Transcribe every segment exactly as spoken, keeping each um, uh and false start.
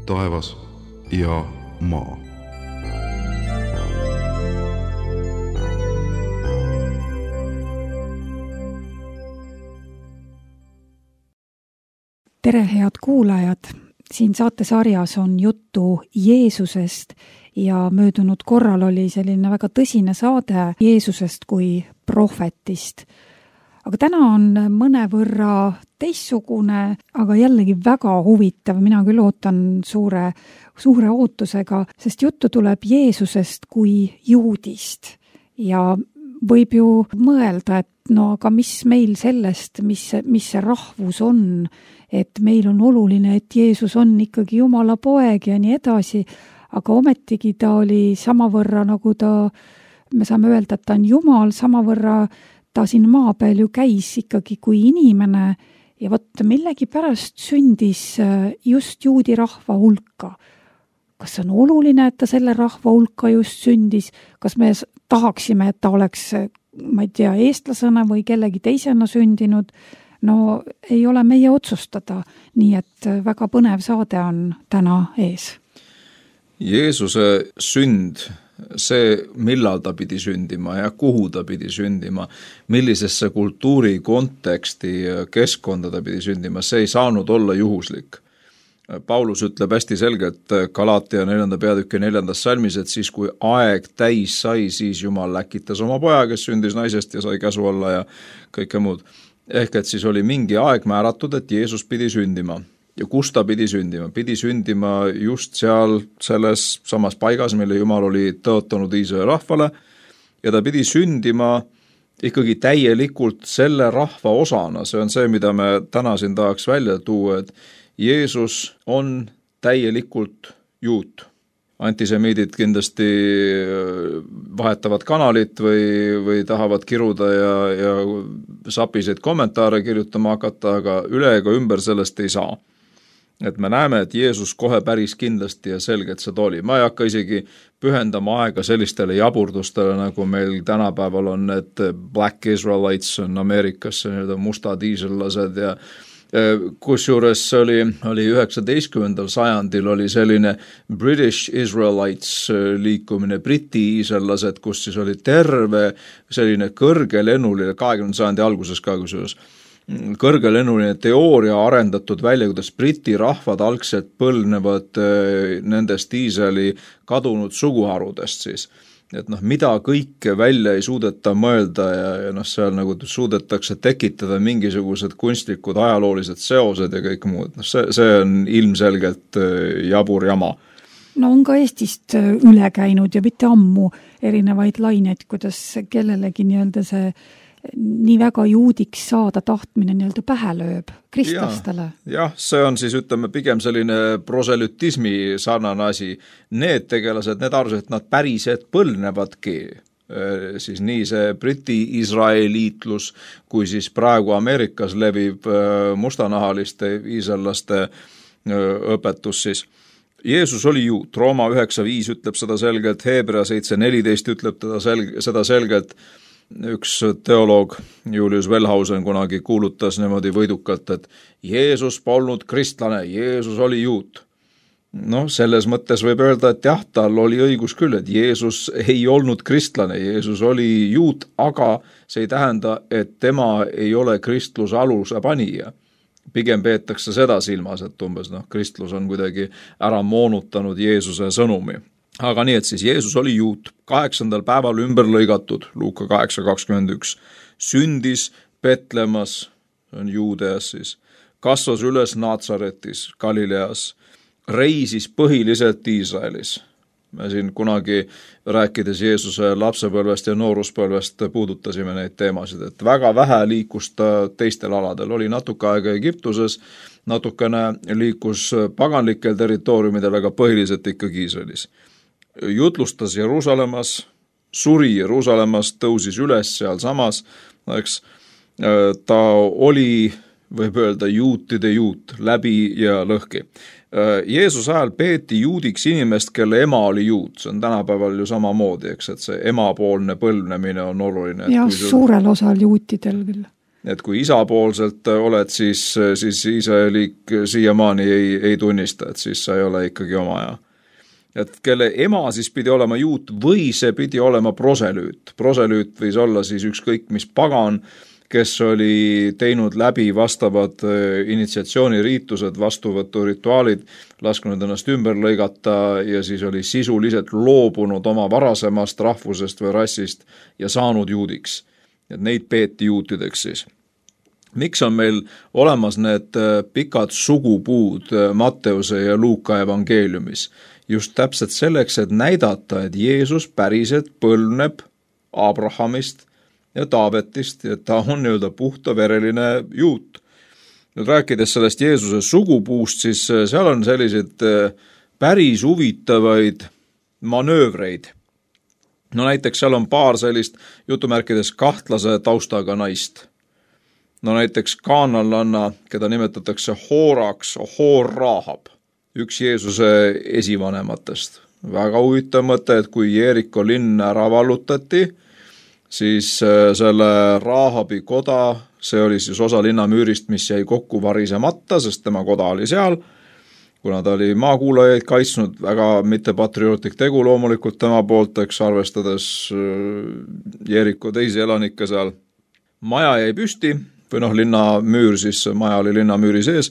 taevas ja maa. Tere, head kuulajad! Siin saatesarjas on juttu Jeesusest ja möödunud korral oli selline väga tõsine saade Jeesusest kui prohvetist. Aga täna on mõnevõrra teistsugune, aga jällegi väga huvitav. Mina küll ootan suure, suure ootusega, sest juttu tuleb Jeesusest kui juudist. Ja võib ju mõelda, et no aga mis meil sellest, mis, mis see rahvus on, et meil on oluline, et Jeesus on ikkagi Jumala poeg ja nii edasi, aga ometigi ta oli samavõrra, nagu ta, me saame öelda, et ta on Jumal, samavõrra ta siin maa peal ju käis ikkagi kui inimene ja vot millegi pärast sündis just juudi rahva hulka. Kas on oluline, et ta selle rahva hulka just sündis? Kas me tahaksime, et ta oleks, ma ei tea, eestlasena või kellegi teisena sündinud? No ei ole meie otsustada, nii et väga põnev saade on täna ees. Jeesuse sünd, see millal ta pidi sündima ja kuhu ta pidi sündima, millisesse kultuuri konteksti keskkonda ta pidi sündima, see ei saanud olla juhuslik. Paulus ütleb hästi selgelt Galaatia neljanda peatüki neljandas salmis, et siis kui aeg täis sai, siis Jumal läkitas oma poja, kes sündis naisest ja sai käsu alla ja kõike muud. Ehk et siis oli mingi aeg määratud, et Jeesus pidi sündima. Ja kus ta pidi sündima? Pidi sündima just seal selles samas paigas, mille Jumal oli tõotanud Iisraeli rahvale, ja ta pidi sündima ikkagi täielikult selle rahva osana. See on see, mida me täna siin tahaks välja tuua, et Jeesus on täielikult juut. Antisemiidid kindlasti vahetavad kanalit või, või tahavad kiruda ja, ja sapiseid kommentaare kirjutama hakata, aga üle ega ümber sellest ei saa. Et me näeme, et Jeesus kohe päris kindlasti ja selgelt seda oli. Ma ei hakka isegi pühendama aega sellistele jaburdustele, nagu meil tänapäeval on, et Black Israelites on Ameerikas, need mustad iisraellased ja kusjuures oli, oli üheksateistkümnendal sajandil oli selline British Israelites liikumine, briti iisraellased, kus siis oli terve selline kõrgelennuline, kahekümnenda sajandi alguses ka kusjuures, kõrgelennuline teooria arendatud välja, kuidas briti rahvad algselt põlnevad nendest Iisraeli kadunud suguharudest siis. Et noh, mida kõike välja ei suudeta mõelda ja, ja noh, seal nagu suudetakse tekitada mingisugused kunstlikud ajaloolised seosed ja kõik muud. No see, see on ilmselgelt jabur jama. No on ka Eestist üle käinud ja mitte ammu erinevaid laineid, kuidas kellelegi nii-öelda see nii väga juudiks saada tahtmine nii-öelda pähe lööb kristlastele. Jah, ja, see on siis, ütleme, pigem selline proselytismi sarnane asi. Need tegelased, need arvasid, et nad päriselt põlnevadki. Siis nii see Briti Iisraeliitlus, kui siis praegu Ameerikas levib mustanahaliste iisraellaste õpetus siis. Jeesus oli juut, Rooma üheksa viis ütleb seda selgelt, Hebra seitse neliteist ütleb teda selg- seda selgelt. Üks teoloog Julius Wellhausen kunagi kuulutas niimoodi võidukalt, et Jeesus polnud kristlane, Jeesus oli juut. No selles mõttes võib öelda, et jah, tal oli õigus küll, et Jeesus ei olnud kristlane, Jeesus oli juut, aga see ei tähenda, et tema ei ole kristluse aluse panija. Pigem peetakse seda silmas, et umbes noh, kristlus on kuidagi ära moonutanud Jeesuse sõnumi. Aga nii, et siis Jeesus oli juut, kaheksandal päeval ümber lõigatud, Luuka kaheksa kakskümmend üks, sündis Betlemas, on Juudeas siis, kasvas üles Naatsaretis, Galileas, reisis põhiliselt Iisraelis. Me siin kunagi rääkides Jeesuse lapsepõlvest ja nooruspõlvest puudutasime neid teemasid, et väga vähe liikus ta teistel aladel, oli natuke aega Egiptuses, natukene liikus paganlikel territooriumidel, aga põhiliselt ikkagi Iisraelis. Jutlustas Jeruusalemmas, suri Jeruusalemmas, tõusis üles seal samas, eks, ta oli, võib öelda, juutide juut, läbi ja lõhki. Jeesuse ajal peeti juudiks inimest, kelle ema oli juut, see on tänapäeval ju samamoodi, eks, et see emapoolne põlvnemine on oluline. Ja sul... suurel osal juutidel küll. et kui isapoolselt oled, siis, siis Iisraelik siiamaani ei, ei tunnista, et siis sa ei ole ikkagi oma aja. Et kelle ema siis pidi olema juut või see pidi olema proselüüt. Proselüüt võis olla siis ükskõik mis pagan, kes oli teinud läbi vastavad initsiatsiooniriitused, vastuvõturituaalid, laskunud ennast ümber lõigata ja siis oli sisuliselt loobunud oma varasemast rahvusest või rassist ja saanud juudiks. Et neid peeti juutideks siis. Miks on meil olemas need pikad sugupuud Matteuse ja Luuka evangeeliumis? Just täpselt selleks, et näidata, et Jeesus päriselt põlvneb Abrahamist ja Taavetist, et ta on nii-öelda puhtavereline juut. Nüüd rääkides sellest Jeesuse sugupuust, siis seal on sellised päris huvitavaid manöövreid. No näiteks seal on paar sellist jutumärkides kahtlase taustaga naist. No näiteks kaananlanna, keda nimetatakse Hooraks, Hoor Rahab, üks Jeesuse esivanematest. Väga huvitav mõte, et kui Jeeriko linn ära vallutati, siis selle Rahabi koda, see oli siis osa linnamüürist, mis jäi kokku varisemata, sest tema koda oli seal, kuna ta oli maakuulajaid kaitsnud, väga mittepatriootlik tegu loomulikult tema poolt, eks arvestades Jeeriko teisi elanikke seal. Maja jäi püsti, või noh, linnamüür, siis maja oli linnamüüri sees,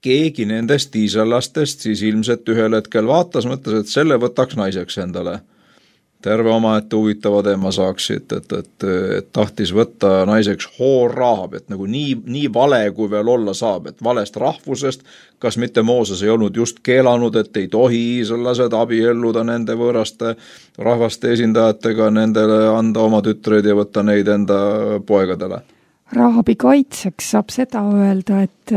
keegi nendest iisraelastest siis ilmselt ühel hetkel vaatas, mõtles, et selle võtaks naiseks endale. Terve omaette huvitava teema saaksid, et, et, et tahtis võtta naiseks Hoor Rahab, et nagu nii, nii vale, kui veel olla saab, et valest rahvusest, kas mitte Mooses ei olnud just keelanud, et ei tohi iisraelased abielluda nende võõraste rahvaste esindajatega, nendele anda oma tütreid ja võtta neid enda poegadele. Rahabi kaitseks saab seda öelda, et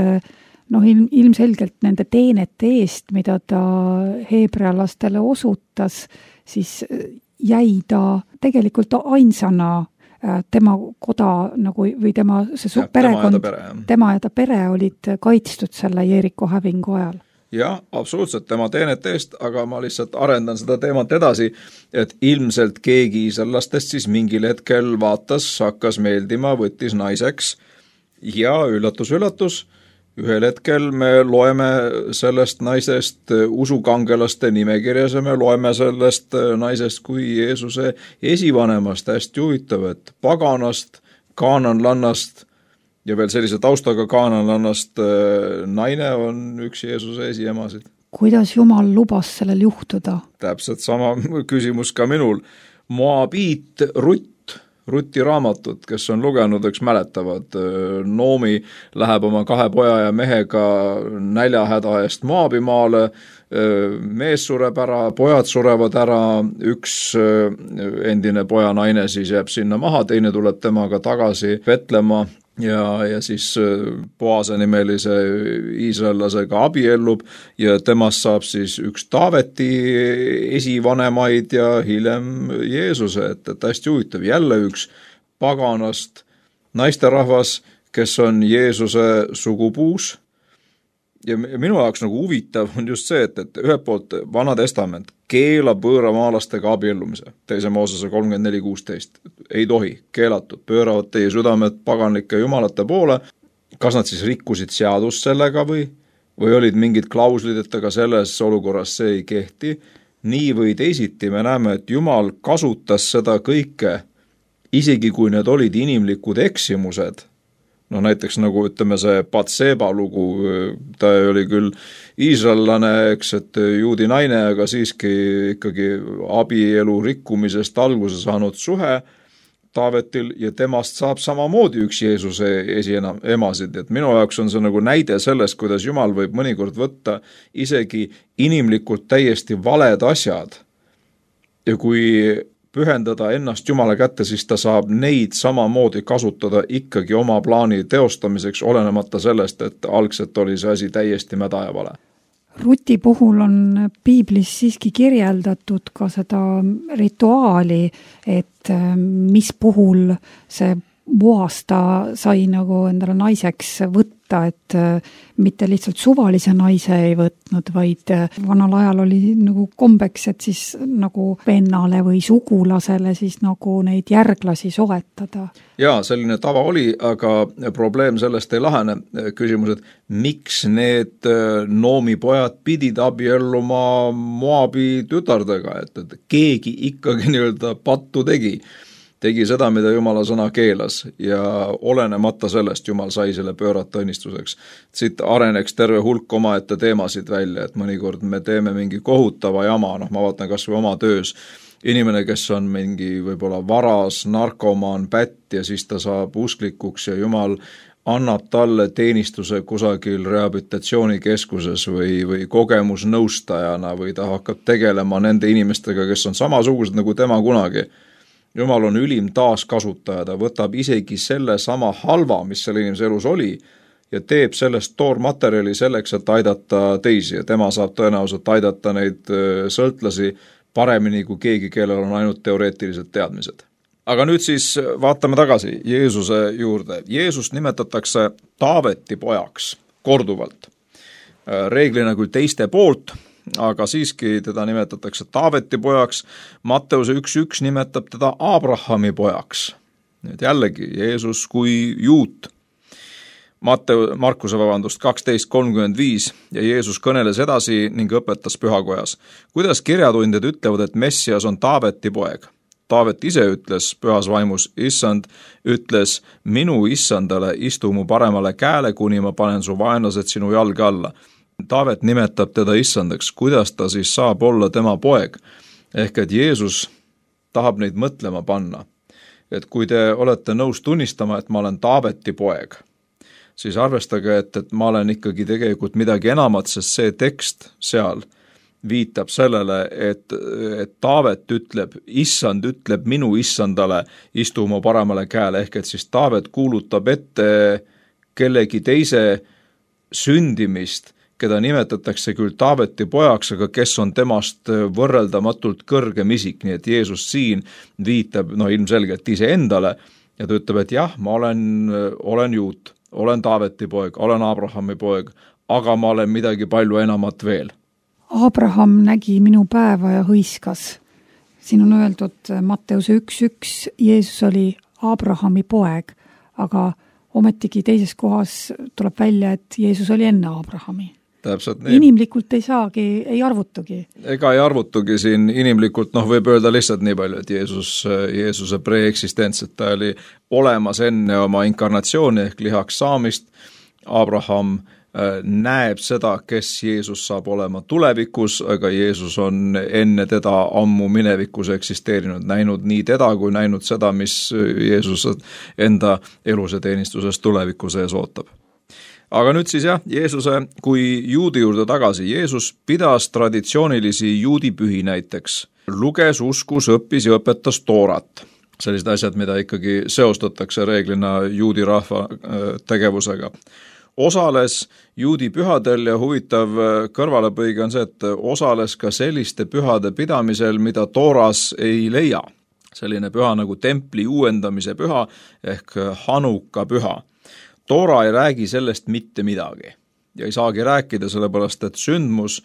noh, ilmselgelt nende teenete eest, mida ta heebrealastele osutas, siis jäi ta tegelikult ainsana tema koda nagu, või tema see ja, perekond, tema ja, pere, tema ja ta pere olid kaitstud selle Jeeriko hävingu ajal. Jah, absoluutselt tema teenete eest, aga ma lihtsalt arendan seda teemat edasi, et ilmselt keegi iisraelastest siis mingil hetkel vaatas, hakkas meeldima, võttis naiseks ja üllatus, üllatus, ühel hetkel me loeme sellest naisest usukangelaste nimekirjas ja me loeme sellest naisest kui Jeesuse esivanemast, hästi huvitav, et paganast, kaananlannast ja veel sellise taustaga kaananlannast naine on üks Jeesuse esiemasid. Kuidas Jumal lubas sellel juhtuda? Täpselt sama küsimus ka minul. Moabiit Rutt, Ruti raamatut, kes on lugenud, eks mäletavad, Noomi läheb oma kahe poja ja mehega näljahäda eest Moabimaale, mees sureb ära, pojad surevad ära, üks endine poja naine siis jääb sinna maha, teine tuleb temaga tagasi Vetlema ja, ja siis Boase nimelise iisraellasega abiellub ja temast saab siis üks Taaveti esivanemaid ja hiljem Jeesuse, et, et hästi huvitav, jälle üks paganast naisterahvas, kes on Jeesuse sugupuus. Ja minu jaoks nagu huvitav on just see, et, et ühelt poolt Vana Testament keelab võõramaalastega abiellumise, teise Moosese kolmkümmend neli kuusteist, ei tohi, keelatud, pööravad teie südamed paganlike jumalate poole, kas nad siis rikkusid seadust sellega või, või olid mingid klauslid, et aga selles olukorras see ei kehti, nii või teisiti me näeme, et Jumal kasutas seda kõike, isegi kui need olid inimlikud eksimused. No näiteks nagu ütleme see Batseba lugu, ta oli küll iisraellane, eks, et juudi naine, aga siiski ikkagi abielu rikkumisest alguse saanud suhe Taavetil ja temast saab samamoodi üks Jeesuse esiemasid. Et minu jaoks on see nagu näide sellest, kuidas Jumal võib mõnikord võtta isegi inimlikult täiesti valed asjad ja kui pühendada ennast Jumala kätte, siis ta saab neid samamoodi kasutada ikkagi oma plaani teostamiseks, olenemata sellest, et algselt oli see asi täiesti mäda ja vale. Ruti puhul on piiblis siiski kirjeldatud ka seda rituaali, et mis puhul see Boas ta sai nagu endale naiseks võtta võtta, et mitte lihtsalt suvalise naise ei võtnud, vaid vanal ajal oli nagu kombeks, et siis nagu vennale või sugulasele siis nagu neid järglasi soetada. Jaa, selline tava oli, aga probleem sellest ei lahene. Küsimus, et miks need Noomi pojad pidid abielluma Moabi tütardega, et, et keegi ikkagi nii-öelda pattu tegi. Tegi seda, mida Jumala sõna keelas ja olenemata sellest Jumal sai selle pöörata õnnistuseks. Siit areneks terve hulk omaette teemasid välja, et mõnikord me teeme mingi kohutava jama, noh ma vaatan kas või oma töös, inimene, kes on mingi võib-olla varas, narkomaan, pätt ja siis ta saab usklikuks ja Jumal annab talle teenistuse kusagil rehabilitatsioonikeskuses või, või kogemusnõustajana või ta hakkab tegelema nende inimestega, kes on samasugused nagu tema kunagi. Jumal on ülim taaskasutaja, ta võtab isegi selle sama halva, mis selle inimese elus oli ja teeb sellest toormaterjali selleks, et aidata teisi ja tema saab tõenäoliselt aidata neid sõltlasi paremini kui keegi, kellel on ainult teoreetilised teadmised. Aga nüüd siis vaatame tagasi Jeesuse juurde. Jeesust nimetatakse Taaveti pojaks korduvalt. Reeglina küll teiste poolt, aga siiski teda nimetatakse Taaveti pojaks. Matteuse üks üks nimetab teda Abrahami pojaks. Nüüd jällegi Jeesus kui juut. Matteu, Markuse vabandust kaksteist kolmkümmend viis ja Jeesus kõneles edasi ning õpetas pühakojas. Kuidas kirjatundjad ütlevad, et Messias on Taaveti poeg? Taavet ise ütles pühas vaimus, issand ütles minu issandale istu mu paremale käele, kuni ma panen su vaenlased sinu jalge alla. Taavet nimetab teda issandaks, kuidas ta siis saab olla tema poeg? Ehk et Jeesus tahab neid mõtlema panna. Et kui te olete nõus tunnistama, et ma olen Taaveti poeg, siis arvestage, et, et ma olen ikkagi tegelikult midagi enamat, sest see tekst seal viitab sellele, et, et Taavet ütleb, issand ütleb minu issandale istu mu paremale käele, ehk et siis Taavet kuulutab ette kellegi teise sündimist, keda nimetatakse küll Taaveti pojaks, aga kes on temast võrreldamatult kõrgem isik, nii et Jeesus siin viitab no ilmselgelt ise endale ja ta ütleb, et jah, ma olen, olen juut, olen Taaveti poeg, olen Abrahami poeg, aga ma olen midagi palju enamat veel. Abraham nägi minu päeva ja hõiskas. Siin on öeldud Matteuse üks üks, Jeesus oli Abrahami poeg, aga ometigi teises kohas tuleb välja, et Jeesus oli enne Abrahami. Täpselt nii. Inimlikult ei saagi, ei arvutugi. Ega ei arvutugi siin inimlikult, noh võib öelda lihtsalt nii palju, et Jeesus, Jeesuse preeksistents, et ta oli olemas enne oma inkarnatsiooni ehk lihaks saamist. Abraham näeb seda, kes Jeesus saab olema tulevikus, aga Jeesus on enne teda ammu minevikus eksisteerinud, näinud nii teda kui näinud seda, mis Jeesus enda eluse teenistuses tuleviku sees ootab. Aga nüüd siis jah, Jeesuse kui juudi juurde tagasi. Jeesus pidas traditsioonilisi juudipühi näiteks. Luges, uskus, õppis ja õpetas toorat. Sellised asjad, mida ikkagi seostatakse reeglina juudi rahva tegevusega. Osales juudi pühadel ja huvitav kõrvalepõige on see, et osales ka selliste pühade pidamisel, mida tooras ei leia. Selline püha nagu templi uuendamise püha ehk Hanuka püha. Toora ei räägi sellest mitte midagi ja ei saagi rääkida, sellepärast et sündmus,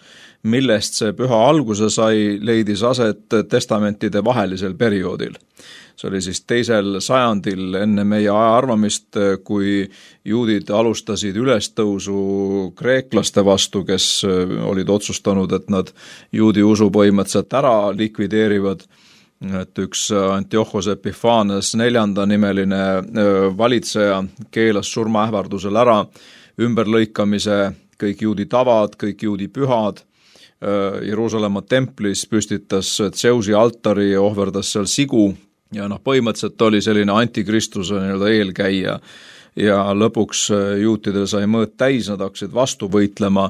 millest see püha alguse sai, leidis aset testamentide vahelisel perioodil. See oli siis teisel sajandil enne meie aja arvamist, kui juudid alustasid ülestõusu kreeklaste vastu, kes olid otsustanud, et nad juudi usu põhimõtteliselt ära likvideerivad. Et üks Antiochos Epiphanes neljanda nimeline valitseja keelas surmaähvardusel ära ümberlõikamise, kõik juudi tavad, kõik juudi pühad. Jeruusalemma templis püstitas Tseusi altari ja ohverdas seal sigu ja noh, põhimõtteliselt oli selline antikristuse nii-öelda eelkäija ja lõpuks juutidel sai mõõt täis, nad hakkasid vastu võitlema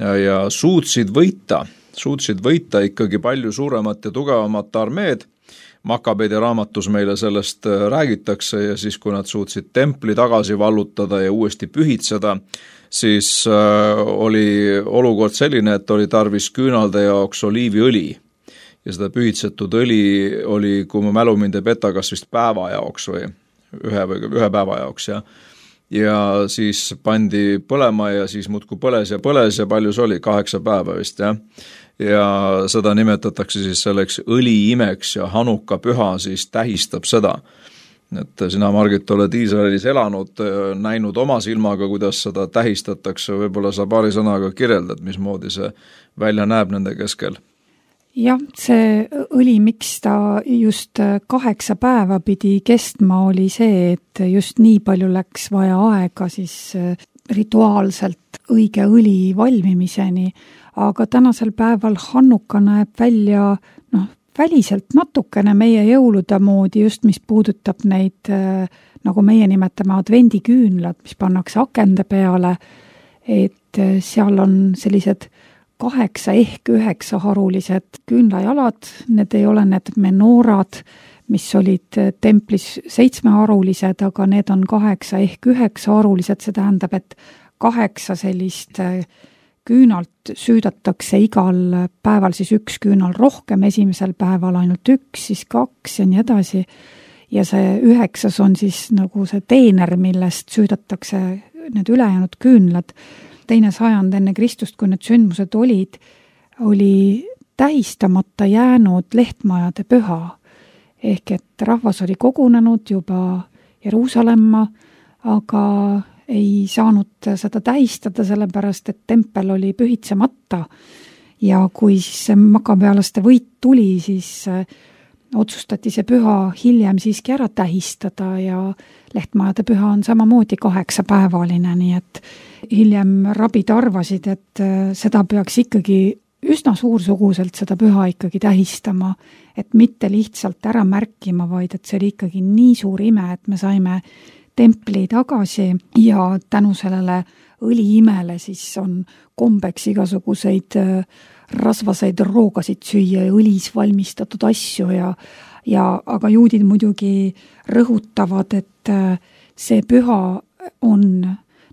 ja suutsid võita. suutsid võita ikkagi palju suuremat ja tugevamat armeed. Makabeide raamatus meile sellest räägitakse ja siis, kui nad suutsid templi tagasi vallutada ja uuesti pühitseda, siis oli olukord selline, et oli tarvis küünalde jaoks oliiviõli. Ja seda pühitsetud õli oli, kui mu mälu mind ei peta, kas vist päeva jaoks või ühe, või ühe päeva jaoks. Ja, ja siis pandi põlema ja siis muudkui põles ja põles ja palju see oli, kaheksa päeva vist, jah. Ja seda nimetatakse siis selleks õliimeks ja Hanuka püha siis tähistab seda. Et sina, Margit, oled Iisraelis elanud, näinud oma silmaga, kuidas seda tähistatakse, võib-olla sa paari sõnaga kirjeldad, mismoodi see välja näeb nende keskel. Jah, see õli, miks ta just kaheksa päeva pidi kestma, oli see, et just nii palju läks vaja aega siis rituaalselt õige õli valmimiseni, aga tänasel päeval Hanuka näeb välja noh, väliselt natukene meie jõulude moodi, just mis puudutab neid, nagu meie nimetame, advendiküünlad, mis pannakse akende peale, et seal on sellised kaheksa ehk üheksa harulised küünlajalad, need ei ole need menorad, mis olid templis seitsmeharulised, aga need on kaheksa ehk üheksa harulised, see tähendab, et kaheksa sellist küünalt süüdatakse igal päeval siis üks küünal rohkem, esimesel päeval ainult üks, siis kaks ja nii edasi. Ja see üheksas on siis nagu see teener, millest süüdatakse need ülejäänud küünlad. Teine sajand enne Kristust, kui need sündmused olid, oli tähistamata jäänud lehtmajade püha. Ehk et rahvas oli kogunenud juba Jeruusalemma, aga ei saanud seda tähistada, sellepärast, et tempel oli pühitsemata ja kui siis makabealaste võit tuli, siis otsustati see püha hiljem siiski ära tähistada ja lehtmajade püha on samamoodi kaheksapäevaline, nii et hiljem rabid arvasid, et seda peaks ikkagi üsna suursuguselt seda püha ikkagi tähistama, et mitte lihtsalt ära märkima, vaid et see oli ikkagi nii suur ime, et me saime templi tagasi ja tänu sellele õliimele siis on kombeks igasuguseid rasvaseid roogasid süüa ja õlis valmistatud asju ja, ja aga juudid muidugi rõhutavad, et see püha on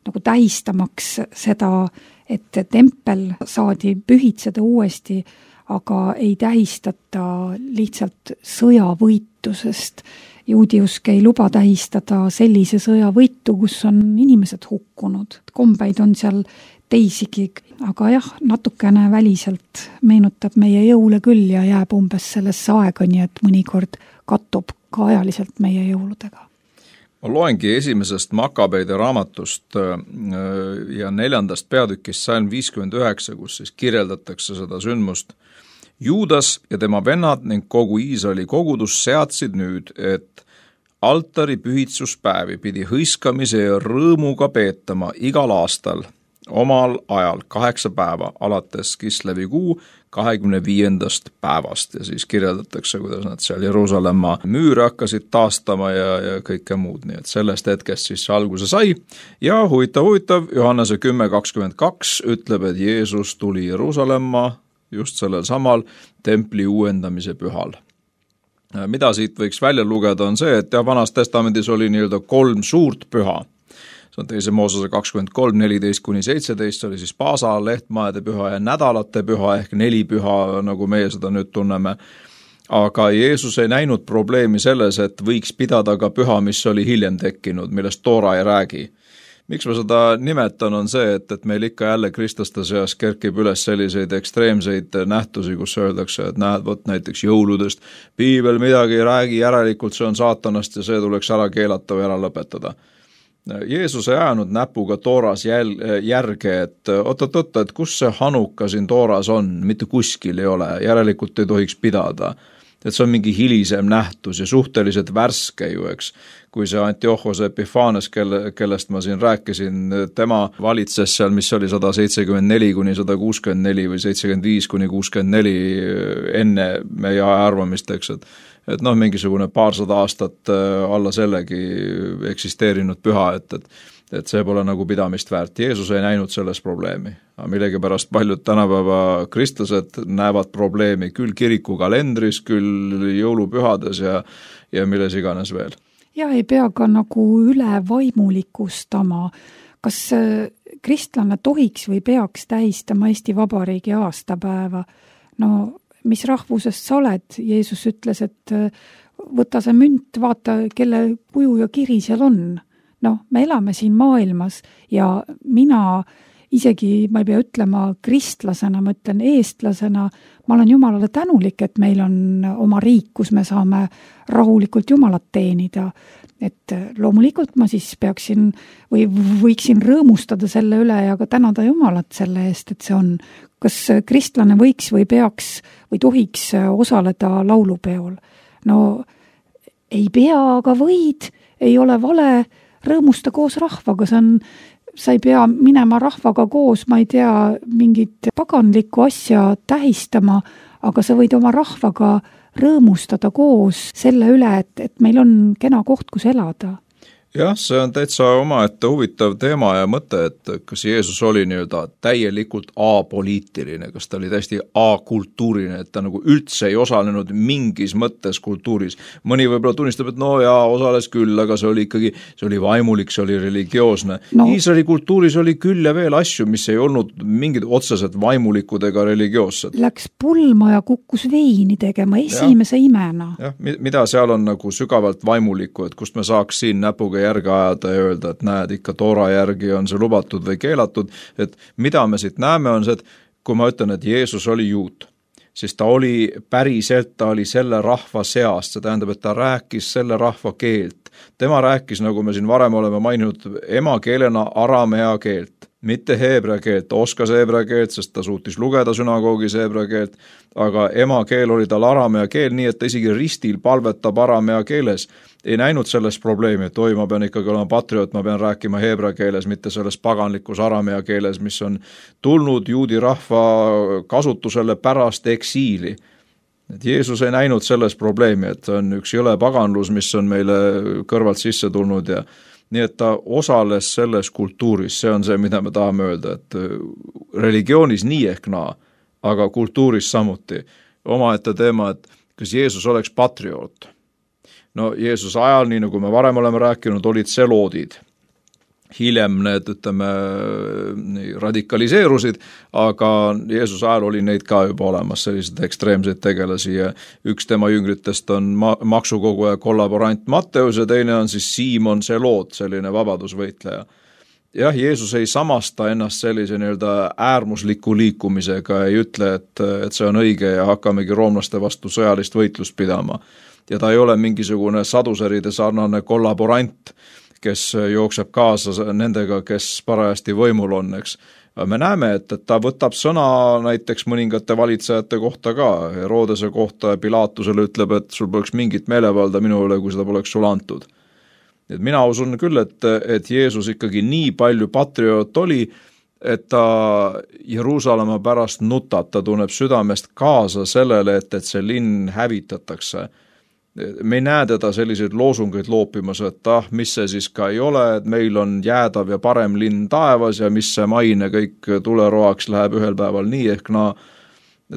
nagu tähistamaks seda, et tempel saadi pühitseda uuesti, aga ei tähistata lihtsalt sõjavõitusest. Juudiusk ei luba tähistada sellise sõjavõitu, kus on inimesed hukkunud. Kombeid on seal teisigi, aga jah, natukene väliselt meenutab meie jõule küll ja jääb umbes sellesse aega, nii et mõnikord kattub ka ajaliselt meie jõuludega. Ma loengi esimesest Makabeide raamatust ja neljandast peatükist salm viiskümmend üheksa, kus siis kirjeldatakse seda sündmust. Juudas ja tema vennad ning kogu Iisraeli kogudus seadsid nüüd, et altari pühitsuspäevi pidi hõiskamise ja rõõmuga peetama igal aastal omal ajal kaheksa päeva alates Kislevi kuu kahekümne viiendast päevast ja siis kirjeldatakse, kuidas nad seal Jeruusalemma müüre hakkasid taastama ja, ja kõike muud, nii et sellest hetkest siis see alguse sai ja huvitav, huvitav, Johannese kümme kakskümmend kaks ütleb, et Jeesus tuli Jeruusalemma just sellel samal templi uuendamise pühal. Mida siit võiks välja lugeda on see, et ja vanas testamendis oli nii-öelda kolm suurt püha. See on teise Moosese kakskümmend kolm, neliteist kuni seitseteist, see oli siis Paasa, lehtmaede püha ja nädalate püha ehk neli püha, nagu meie seda nüüd tunneme. Aga Jeesus ei näinud probleemi selles, et võiks pidada ka püha, mis oli hiljem tekkinud, millest Toora ei räägi. Miks ma seda nimetan on see, et, et meil ikka jälle kristlaste seas kerkib üles selliseid ekstreemseid nähtusi, kus öeldakse, et näed, võt näiteks jõuludest, piibel midagi ei räägi, järelikult see on saatanast ja see tuleks ära keelata või ära lõpetada. Jeesus ei jäänud näpuga Tooras jäl, järge, et oot-oot-oot, et kus see Hanuka siin Tooras on, mitte kuskil ei ole, järelikult ei tohiks pidada. Et see on mingi hilisem nähtus ja suhteliselt värske ju, eks. Kui see Antiochos Epiphanes, kelle, kellest ma siin rääkisin, tema valitses seal, mis oli sada seitsekümmend neli kuni sada kuuskümmend neli või seitsekümmend viis kuni kuuskümmend neli enne meie aja arvamist, eks, et et noh, mingisugune paarsada aastat alla sellegi eksisteerinud püha, et, et, et see pole nagu pidamist väärt. Jeesus ei näinud selles probleemi. Aga millegipärast paljud tänapäeva kristlased näevad probleemi küll kirikukalendris, küll jõulupühades ja, ja milles iganes veel. Ja ei pea ka nagu üle vaimulikustama. Kas kristlane tohiks või peaks tähistama Eesti Vabariigi aastapäeva? No mis rahvusest sa oled? Jeesus ütles, et võta see münt, vaata, kelle kuju ja kiri seal on. noh, me elame siin maailmas ja mina isegi, ma ei pea ütlema kristlasena, ma ütlen eestlasena, ma olen Jumalale tänulik, et meil on oma riik, kus me saame rahulikult Jumalat teenida. Et loomulikult ma siis peaksin või võiksin rõõmustada selle üle ja ka tänada Jumalat selle eest, et see on, kas kristlane võiks või peaks või tohiks osaleda laulupeol. No ei pea, aga võid, ei ole vale, rõõmusta koos rahvaga, see on, sa ei pea minema rahvaga koos, ma ei tea, mingit paganlikku asja tähistama, aga sa võid oma rahvaga rõõmustada koos selle üle, et, et meil on kena koht, kus elada. Jah, see on täitsa omaette huvitav teema ja mõte, et kas Jeesus oli nii-öelda täielikult apoliitiline, kas ta oli täiesti akultuuriline, et ta nagu üldse ei osalenud mingis mõttes kultuuris. Mõni võib-olla tunnistab, et no jaa, osales küll, aga see oli ikkagi, see oli vaimulik, see oli religioosne. No. Iisraeli kultuuris oli küll ja veel asju, mis ei olnud mingid otseselt vaimulikud ega religioossed. Läks pulma ja kukkus veini tegema esimese ja. imena. Jah, mida seal on nagu sügavalt vaimulikku, et kust me saaks siin näpuga järgi ajada ja öelda, et näed, ikka toora järgi on see lubatud või keelatud, et mida me siit näeme on see, et kui ma ütlen, et Jeesus oli juut, siis ta oli päriselt, ta oli selle rahva seast, see tähendab, et ta rääkis selle rahva keelt. Tema rääkis, nagu me siin varem oleme maininud, emakeelena aramea keelt, mitte heebrea keelt, ta oskas heebrea keelt, sest ta suutis lugeda sünagoogis heebrea keelt, aga emakeel oli tal aramea keel, nii et ta isegi ristil palvetab aramea keeles. Ei näinud sellest probleemi, et oi, ma pean ikkagi olema patrioot, ma pean rääkima heebrea keeles, mitte selles paganlikus aramea keeles, mis on tulnud juudi rahva kasutusele pärast eksiili. Et Jeesus ei näinud selles probleemi, et on üks jõle paganlus, mis on meile kõrvalt sisse tulnud ja nii et ta osales selles kultuuris, see on see, mida me tahame öelda, et religioonis nii ehk naa, aga kultuuris samuti. Omaette teema, et kas Jeesus oleks patrioot. No Jeesus ajal, nii nagu me varem oleme rääkinud, olid seloodid. Hiljem need, ütleme, radikaliseerusid, aga Jeesus ajal oli neid ka juba olemas, sellised ekstreemseid tegelasi ja üks tema jüngritest on ma- maksukoguja kollaborant Matteus ja teine on siis Siimon Seloot, selline vabadusvõitleja. Jah, Jeesus ei samasta ennast sellise nii-öelda äärmusliku liikumisega, ei ütle, et, et see on õige ja hakkamegi roomlaste vastu sõjalist võitlust pidama. Ja ta ei ole mingisugune saduseride sarnane kollaborant, kes jookseb kaasa nendega, kes parajasti võimul on, eks. Me näeme, et, et ta võtab sõna näiteks mõningate valitsejate kohta ka, Herodese kohta ja Pilatusele ütleb, et sul poleks mingit meelevalda minu üle, kui seda poleks sul antud. Et mina usun küll, et, et Jeesus ikkagi nii palju patrioot oli, et ta Jeruusalemma pärast nutab, ta tunneb südamest kaasa sellele, et, et see linn hävitatakse. Me ei näe teda selliseid loosungeid loopimas, et ah, mis see siis ka ei ole, et meil on jäädav ja parem linn taevas ja mis see maine kõik tuleroaks läheb ühel päeval nii ehk naa.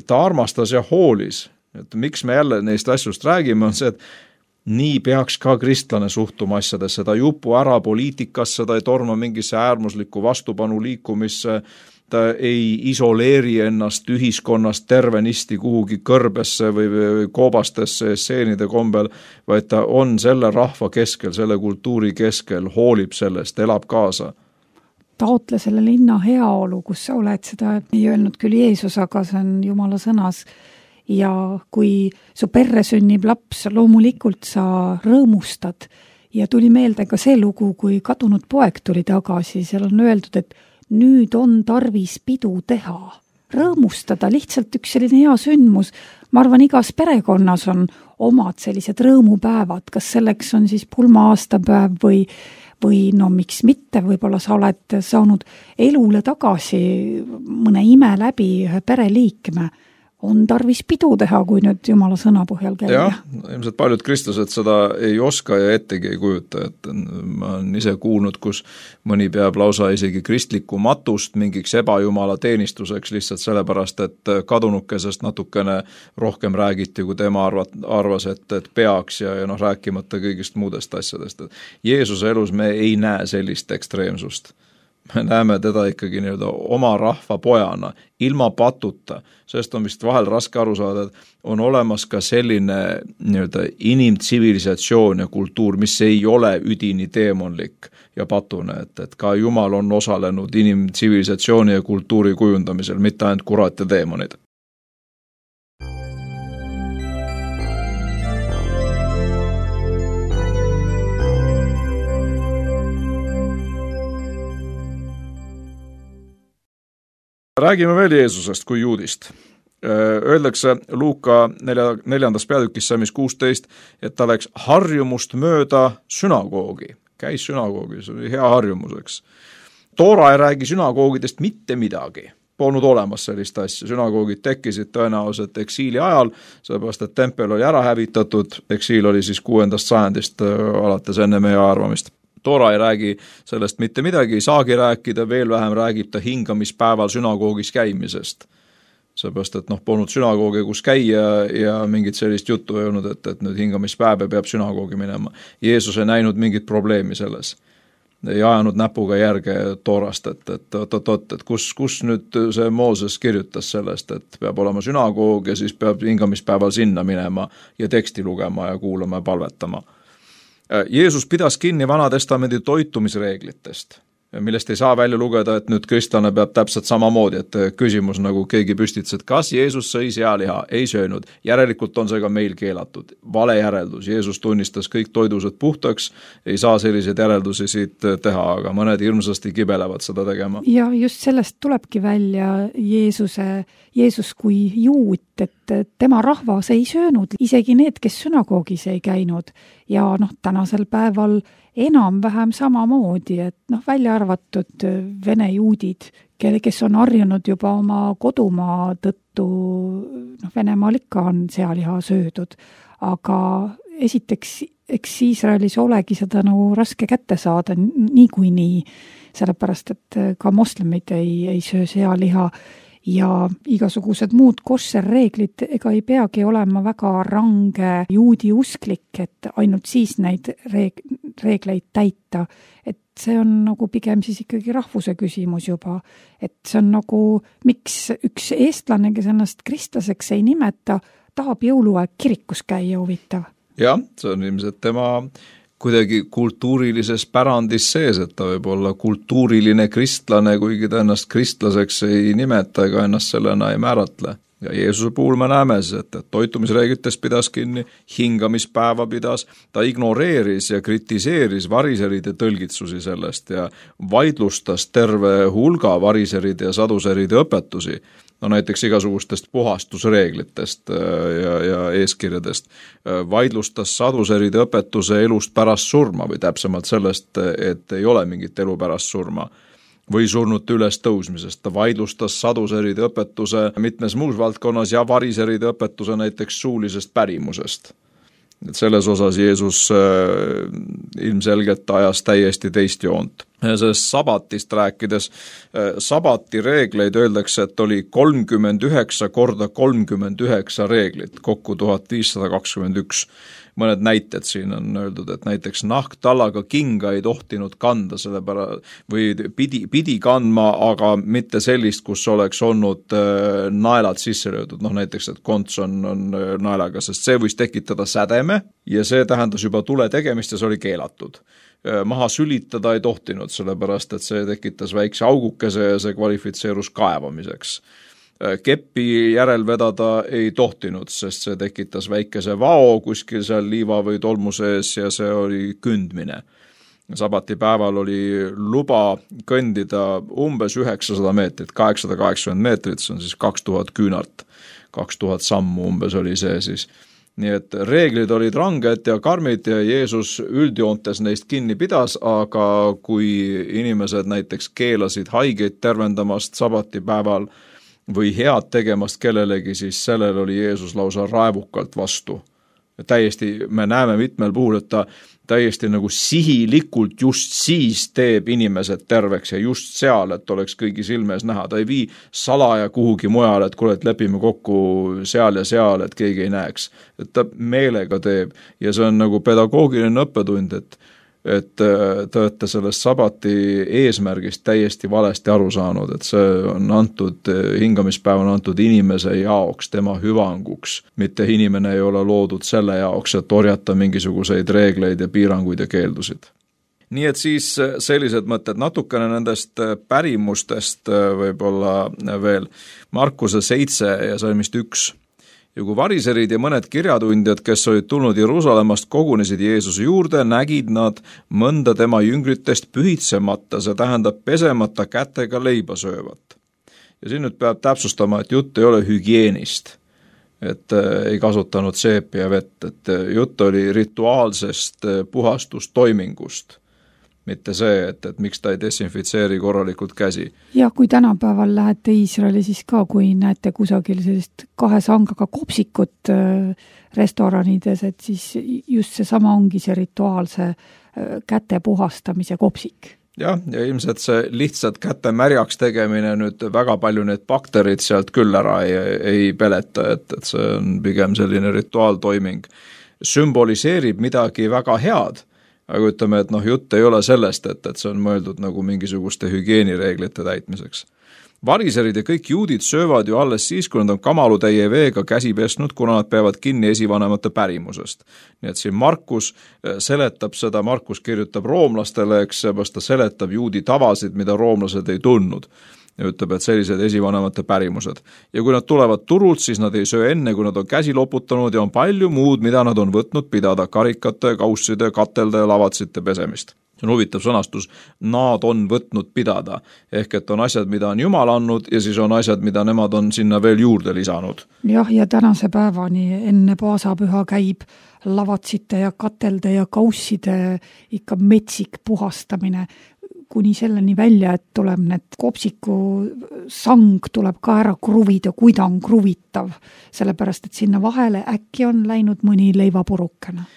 Ta armastas ja hoolis. Et miks me jälle neist asjust räägime, on see, et nii peaks ka kristlane suhtuma asjadesse, ta jupu ära poliitikasse, ta ei torma mingisse äärmuslikku vastupanu liikumisse, ta ei isoleeri ennast ühiskonnast tervenisti kuhugi kõrbesse või, või koobastesse seenide kombel, vaid ta on selle rahva keskel, selle kultuuri keskel, hoolib sellest, elab kaasa. Taotle selle linna heaolu, kus sa oled, seda ei öelnud küll Jeesus, aga see on Jumala sõnas. Ja kui su perre sünnib laps, loomulikult sa rõõmustad. Ja tuli meelde ka see lugu, kui kadunud poeg tuli tagasi, seal on öeldud, et nüüd on tarvis pidu teha, rõõmustada, lihtsalt üks selline hea sündmus. Ma arvan, igas perekonnas on omad sellised rõõmupäevad, kas selleks on siis pulma aastapäev või, või no miks mitte, võib-olla sa oled saanud elule tagasi mõne ime läbi ühe pereliikme. On tarvis pidu teha, kui nüüd Jumala sõna põhjal käia. Jah, ilmselt paljud kristlased seda ei oska ja ettegi ei kujuta, et ma olen ise kuulnud, kus mõni peab lausa isegi kristlikku matust mingiks ebajumala teenistuseks lihtsalt sellepärast, et kadunukesest natukene rohkem räägiti, kui tema arvat, arvas, et, et peaks ja, ja noh, rääkimata kõigist muudest asjadest. Et Jeesuse elus me ei näe sellist ekstreemsust. me näeme teda ikkagi nii-öelda oma rahva pojana, ilma patuta, sest on vist vahel raske aru saada, et on olemas ka selline nii-öelda inimtsivilisatsioon ja kultuur, mis ei ole üdini teemonlik ja patune, et, et ka Jumal on osalenud inimtsivilisatsiooni ja kultuuri kujundamisel, mitte ainult kurat ja teemonid. Räägime veel Jeesusest kui juudist. Öeldakse Luuka neljandas peatükis Salmis kuusteist, et ta läks harjumust mööda sünagoogi. Käis sünagoogi, see oli hea harjumuseks. Toora ei räägi sünagoogidest mitte midagi. Polnud olemas sellist asja. Sünagoogid tekkisid tõenäoliselt eksiili ajal, sellepärast, et tempel oli ära hävitatud. Eksiil oli siis kuuendast sajandist alates enne meie arvamist. Toora ei räägi sellest mitte midagi, ei saagi rääkida, veel vähem räägib ta hingamispäeval sünagoogis käimisest. Sellepärast, et noh, polnud sünagoogi, kus käia ja mingit sellist juttu ei olnud, et, et nüüd hingamispäev peab sünagoogi minema. Jeesus ei näinud mingit probleemi selles. Ei ajanud näpuga järge Toorast, et, et, et, et, et kus, kus nüüd see Mooses kirjutas sellest, et peab olema sünagoog ja siis peab hingamispäeval sinna minema ja teksti lugema ja kuulama ja palvetama. Jeesus pidas kinni Vanatestamendi toitumisreeglitest, millest ei saa välja lugeda, et nüüd kristlane peab täpselt samamoodi, et küsimus nagu keegi püstitas, et kas Jeesus sõi sealiha, ei söönud, järelikult on see ka meil keelatud. Vale järeldus, Jeesus tunnistas kõik toidused puhtaks, ei saa selliseid järeldusi siit teha, aga mõned hirmsasti kibelevad seda tegema. Ja just sellest tulebki välja Jeesuse, Jeesus kui juut, et tema rahvas ei söönud, isegi need, kes sünagoogis ei käinud. Ja noh, tänasel päeval enam-vähem samamoodi, et noh, välja arvatud vene juudid, kes on harjunud juba oma kodumaa tõttu, noh, Venemaal ikka on sealiha söödud, aga esiteks, eks Iisraelis olegi seda nagu raske kätte saada niikuinii, sellepärast, et ka moslemid ei, ei söö sealiha ja igasugused muud koššerreeglid ega ei peagi olema väga range juudi usklik, et ainult siis neid reeg- reegleid täita. Et see on nagu pigem siis ikkagi rahvuse küsimus juba. Et see on nagu, miks üks eestlane, kes ennast kristlaseks ei nimeta, tahab jõuluaeg kirikus käia huvitav. Jah, see on ilmselt tema kuidagi kultuurilises pärandis sees, et ta võib olla kultuuriline kristlane, kuigi ta ennast kristlaseks ei nimeta ega ennast sellena ei määratle. Ja Jeesuse puhul me näeme siis, et toitumisreeglitest pidas kinni, hingamispäeva pidas, ta ignoreeris ja kritiseeris variseride tõlgitsusi sellest ja vaidlustas terve hulga variseride ja saduseride õpetusi. No näiteks igasugustest puhastusreeglitest ja, ja eeskirjadest. Vaidlustas saduseride õpetuse elust pärast surma või täpsemalt sellest, et ei ole mingit elu pärast surma või surnute üles tõusmisest. Ta vaidlustas saduseride õpetuse mitmes muus valdkonnas ja variseride õpetuse näiteks suulisest pärimusest. Et selles osas Jeesus äh, ilmselgelt ajas täiesti teist joont. Sellest sabatist rääkides, äh, sabati reegleid öeldakse, et oli kolmkümmend üheksa korda kolmkümmend üheksa reeglit, kokku tuhat viissada kakskümmend üks. Mõned näited siin on öeldud, et näiteks nahktallaga kinga ei tohtinud kanda selle pära, või pidi, pidi kandma, aga mitte sellist, kus oleks olnud äh, naelad sisse löödud. Noh, näiteks, et konts on, on naelaga, sest see võis tekitada sädeme ja see tähendas juba tule tegemist ja see oli keelatud. Äh, maha sülitada ei tohtinud, sellepärast, et see tekitas väikse augukese ja see kvalifitseerus kaevamiseks. Keppi järel vedada ei tohtinud, sest see tekitas väikese vao kuskil seal liiva või tolmu sees ja see oli kündmine. Sabati päeval oli luba kõndida umbes üheksasada meetrit, kaheksasada kaheksakümmend meetrit, see on siis kaks tuhat küünart, kaks tuhat sammu umbes oli see siis. Nii et reeglid olid ranged ja karmid ja Jeesus üldjoontes neist kinni pidas, aga kui inimesed näiteks keelasid haigeid tervendamast sabati päeval või head tegemast kellelegi, siis sellel oli Jeesus lausa raevukalt vastu. Täiesti, me näeme mitmel puhul, et ta täiesti nagu sihilikult just siis teeb inimesed terveks ja just seal, et oleks kõigi silmes näha. Ta ei vii salaja kuhugi mujal, et kuule, et lepime kokku seal ja seal, et keegi ei näeks. Et ta meelega teeb ja see on nagu pedagoogiline õppetund, et et te olete sellest sabati eesmärgist täiesti valesti aru saanud, et see on antud, hingamispäev on antud inimese jaoks, tema hüvanguks, mitte inimene ei ole loodud selle jaoks, et orjata mingisuguseid reegleid ja piiranguid ja keeldusid. Nii et siis sellised mõtted, natukene nendest pärimustest võib-olla veel. Markuse seitse ja salmist üks. Ja kui variserid ja mõned kirjatundjad, kes olid tulnud Jeruusalemmast, kogunesid Jeesuse juurde, nägid nad mõnda tema jüngritest pühitsemata, see tähendab pesemata kätega leiba söövat. Ja siin nüüd peab täpsustama, et jutt ei ole hügieenist, et ei kasutanud seepi ja vett, et jutt oli rituaalsest puhastustoimingust. Mitte see, et, et miks ta ei desinfitseeri korralikult käsi. Ja kui tänapäeval lähete Iisraeli, siis ka kui näete kusagil sellist kahe sangaga kopsikut restoranides, et siis just see sama ongi see rituaalse käte puhastamise kopsik. Jah, ja ilmselt see lihtsalt käte märjaks tegemine nüüd väga palju need bakterid sealt küll ära ei, ei peleta, et, et see on pigem selline rituaaltoiming. Sümboliseerib midagi väga head, aga ütleme, et noh, jutt ei ole sellest, et, et see on mõeldud nagu mingisuguste hügieenireeglite täitmiseks. Variserid ja kõik juudid söövad ju alles siis, kui nad on kamalutäie veega käsi pesnud, kuna nad peavad kinni esivanemate pärimusest. Nii et siin Markus seletab seda, Markus kirjutab roomlastele, eks seepärast ta seletab juudi tavasid, mida roomlased ei tundnud. Ja ütleb, et sellised esivanemate pärimused. Ja kui nad tulevad turult, siis nad ei söö enne, kui nad on käsi loputanud ja on palju muud, mida nad on võtnud pidada, karikate, kausside, katelde ja lavatsite pesemist. See on huvitav sõnastus, nad on võtnud pidada, ehk et on asjad, mida on Jumal andnud ja siis on asjad, mida nemad on sinna veel juurde lisanud. Jah, ja tänase päevani enne paasapüha käib lavatsite ja katelde ja kausside ikka metsik puhastamine, kuni selleni välja, et tuleb need kopsiku sang tuleb ka ära kruvida, kui ta on kruvitav, sellepärast, et sinna vahele äkki on läinud mõni leivapurukene.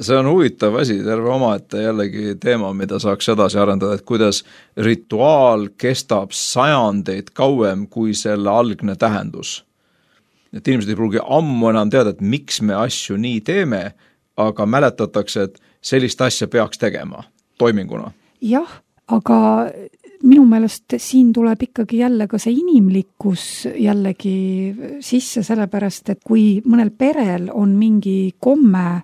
See on huvitav asi, terve omaette jällegi teema, mida saaks edasi arendada, et kuidas rituaal kestab sajandeid kauem kui selle algne tähendus. Et inimesed ei pruugi ammu enam teada, et miks me asju nii teeme, aga mäletatakse, et sellist asja peaks tegema toiminguna. Jah, aga minu meelest siin tuleb ikkagi jälle ka see inimlikkus jällegi sisse, sellepärast, et kui mõnel perel on mingi komme,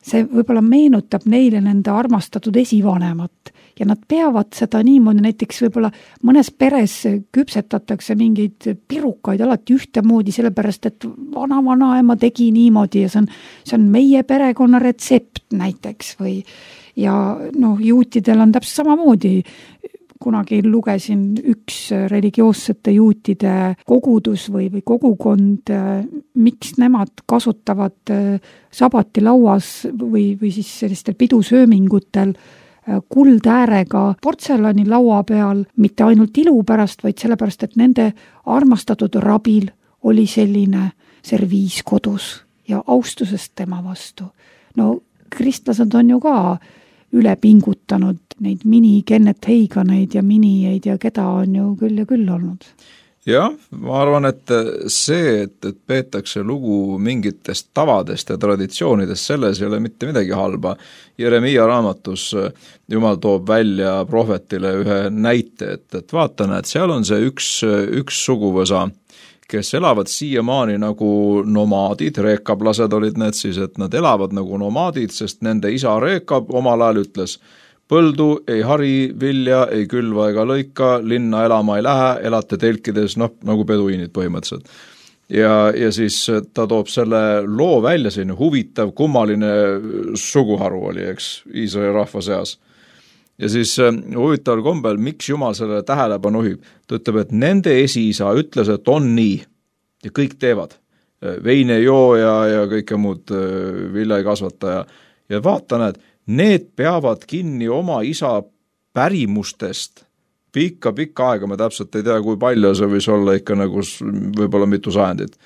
see võib-olla meenutab neile nende armastatud esivanemat ja nad peavad seda niimoodi, näiteks võib-olla mõnes peres küpsetatakse mingeid pirukaid alati ühtemoodi, sellepärast, et vana-vanaema tegi niimoodi ja see on, see on meie perekonna retsept näiteks või ja noh, juutidel on täpselt samamoodi. Kunagi lugesin üks religioossete juutide kogudus või, või kogukond, miks nemad kasutavad sabatilauas või, või siis sellistel pidusöömingutel kuldäärega portselani laua peal, mitte ainult ilu pärast, vaid sellepärast, et nende armastatud rabil oli selline serviis kodus ja austusest tema vastu. No kristlased on ju ka üle pingutanud neid mini Kenneth Hageneid ja minijeid ja keda on ju küll ja küll olnud. Jah, ma arvan, et see, et, et peetakse lugu mingitest tavadest ja traditsioonidest, selles ei ole mitte midagi halba. Jeremiia raamatus Jumal toob välja prohvetile ühe näite, et, et vaatan, et seal on see üks, üks suguvõsa, kes elavad siiamaani nagu nomaadid, reekablased olid need siis, et nad elavad nagu nomaadid, sest nende isa reekab omal ajal ütles, põldu ei hari, vilja ei külva ega lõika, linna elama ei lähe, elate telkides, noh, nagu peduiinid põhimõtteliselt. Ja, ja siis ta toob selle loo välja, selline huvitav, kummaline suguharu oli, eks, Iisraeli rahva seas. Ja siis huvitaval kombel, miks Jumal selle tähelepanu juhib? Ta ütleb, et nende esiisa ütles, et on nii ja kõik teevad. Veine joo ja, ja kõike muud vilja ei kasvata ja, ja vaata näed, need peavad kinni oma isa pärimustest pikka-pikka aega, ma täpselt ei tea, kui palju see võis olla ikka nagu võib-olla mitu sajandit.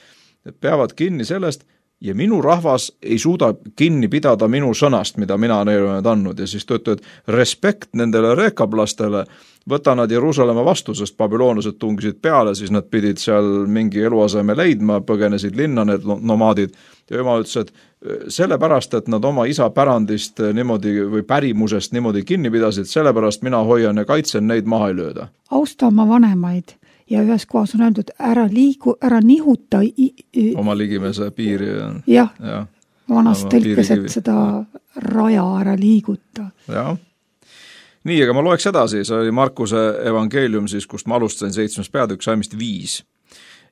Peavad kinni sellest ja minu rahvas ei suuda kinni pidada minu sõnast, mida mina neile olen andnud. Ja siis ta ütleb, et respekt nendele reekablastele, võta nad Jeruusalemma vastu, sest babüloonlased tungisid peale, siis nad pidid seal mingi eluaseme leidma, põgenesid linna need nomaadid. Ja jumal ütles, et sellepärast, et nad oma isa pärandist niimoodi või pärimusest niimoodi kinni pidasid, sellepärast mina hoian ja kaitsen, neid maha ei lööda. Austa oma vanemaid ja ühes kohas on öeldud, ära liigu, ära nihuta i, i, oma ligimese piiri. Jah, ja. Vanas tõlkes, et seda raja ära liiguta. Jah. Nii, aga ma loeks edasi, see oli Markuse evangeelium siis, kust ma alustasin seitsmes peatükk saimist viis.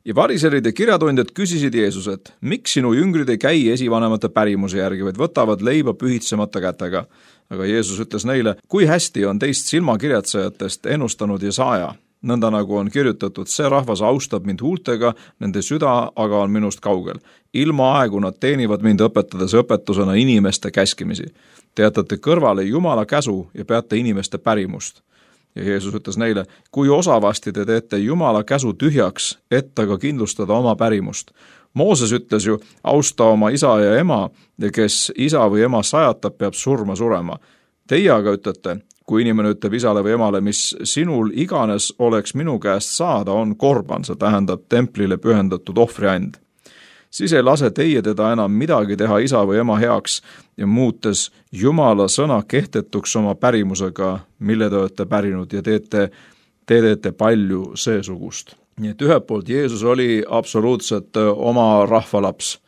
Ja variserid ja kirjatundjad küsisid Jeesuset, miks sinu jüngrid ei käi esivanemate pärimuse järgi, vaid võtavad leiba pühitsemata kätega. Aga Jeesus ütles neile, kui hästi on teist silmakirjatsejatest ennustanud Jesaja. Nõnda nagu on kirjutatud, see rahvas austab mind huultega, nende süda aga on minust kaugel. Ilma aegu nad teenivad mind õpetades õpetusena inimeste käskimisi. Te jätate kõrvale Jumala käsu ja peate inimeste pärimust. Ja Jeesus ütles neile, kui osavasti te teete Jumala käsu tühjaks, et aga kindlustada oma pärimust. Mooses ütles ju, austa oma isa ja ema ja kes isa või ema sajatab, peab surma surema. Teie aga ütlete, kui inimene ütleb isale või emale, mis sinul iganes oleks minu käest saada, on korban, see tähendab templile pühendatud ohvriand. Siis ei lase teie teda enam midagi teha isa või ema heaks ja muutes Jumala sõna kehtetuks oma pärimusega, mille te olete pärinud ja teete, te teete palju seesugust. Nii et ühelt poolt Jeesus oli absoluutselt oma rahvalaps.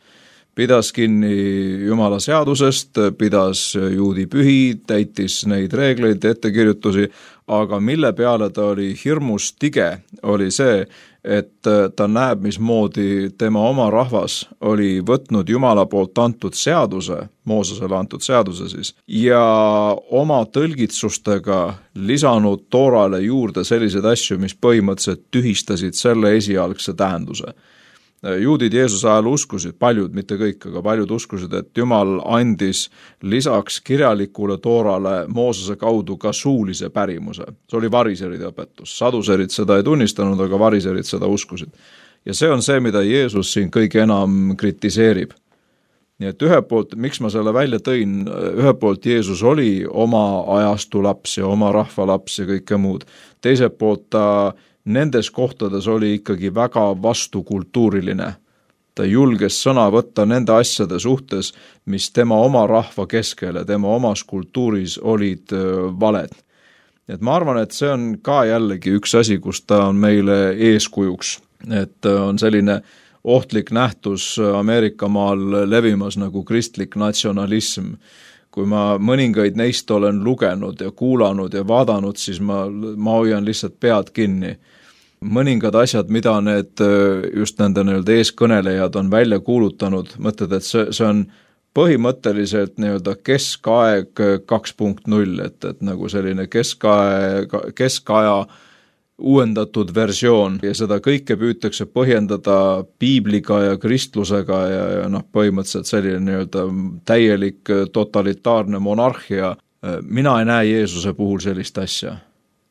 Pidas kinni Jumala seadusest, pidas juudi pühi, täitis neid reegleid, ettekirjutusi, aga mille peale ta oli hirmus tige, oli see, et ta näeb, mismoodi tema oma rahvas oli võtnud Jumala poolt antud seaduse, Moosesele antud seaduse siis, ja oma tõlgitsustega lisanud Toorale juurde selliseid asju, mis põhimõtteliselt tühistasid selle esialgse tähenduse. Juudid Jeesuse ajal uskusid, paljud, mitte kõik, aga paljud uskusid, et Jumal andis lisaks kirjalikule Toorale Moosese kaudu ka suulise pärimuse. See oli variseride õpetus. Saduserid seda ei tunnistanud, aga variserid seda uskusid. Ja see on see, mida Jeesus siin kõige enam kritiseerib. Nii et ühe poolt, miks ma selle välja tõin, ühe poolt Jeesus oli oma ajastu laps ja oma rahva laps ja kõike muud. Teiselt poolt ta nendes kohtades oli ikkagi väga vastukultuuriline. Ta julges sõna võtta nende asjade suhtes, mis tema oma rahva keskel ja tema omas kultuuris olid valed. Et ma arvan, et see on ka jällegi üks asi, kus ta on meile eeskujuks. Et on selline ohtlik nähtus Ameerika maal levimas nagu kristlik natsionalism. Kui ma mõningaid neist olen lugenud ja kuulanud ja vaadanud, siis ma, ma hoian lihtsalt pead kinni. Mõningad asjad, mida need just nende nii-öelda eeskõnelejad on välja kuulutanud, mõtled, et see, see on põhimõtteliselt nii-öelda keskaeg kaks punkt null, et, et nagu selline keskaeg, keskaja uuendatud versioon ja seda kõike püütakse põhjendada piibliga ja kristlusega ja, ja noh, põhimõtteliselt selline nii-öelda täielik totalitaarne monarhia. Mina ei näe Jeesuse puhul sellist asja.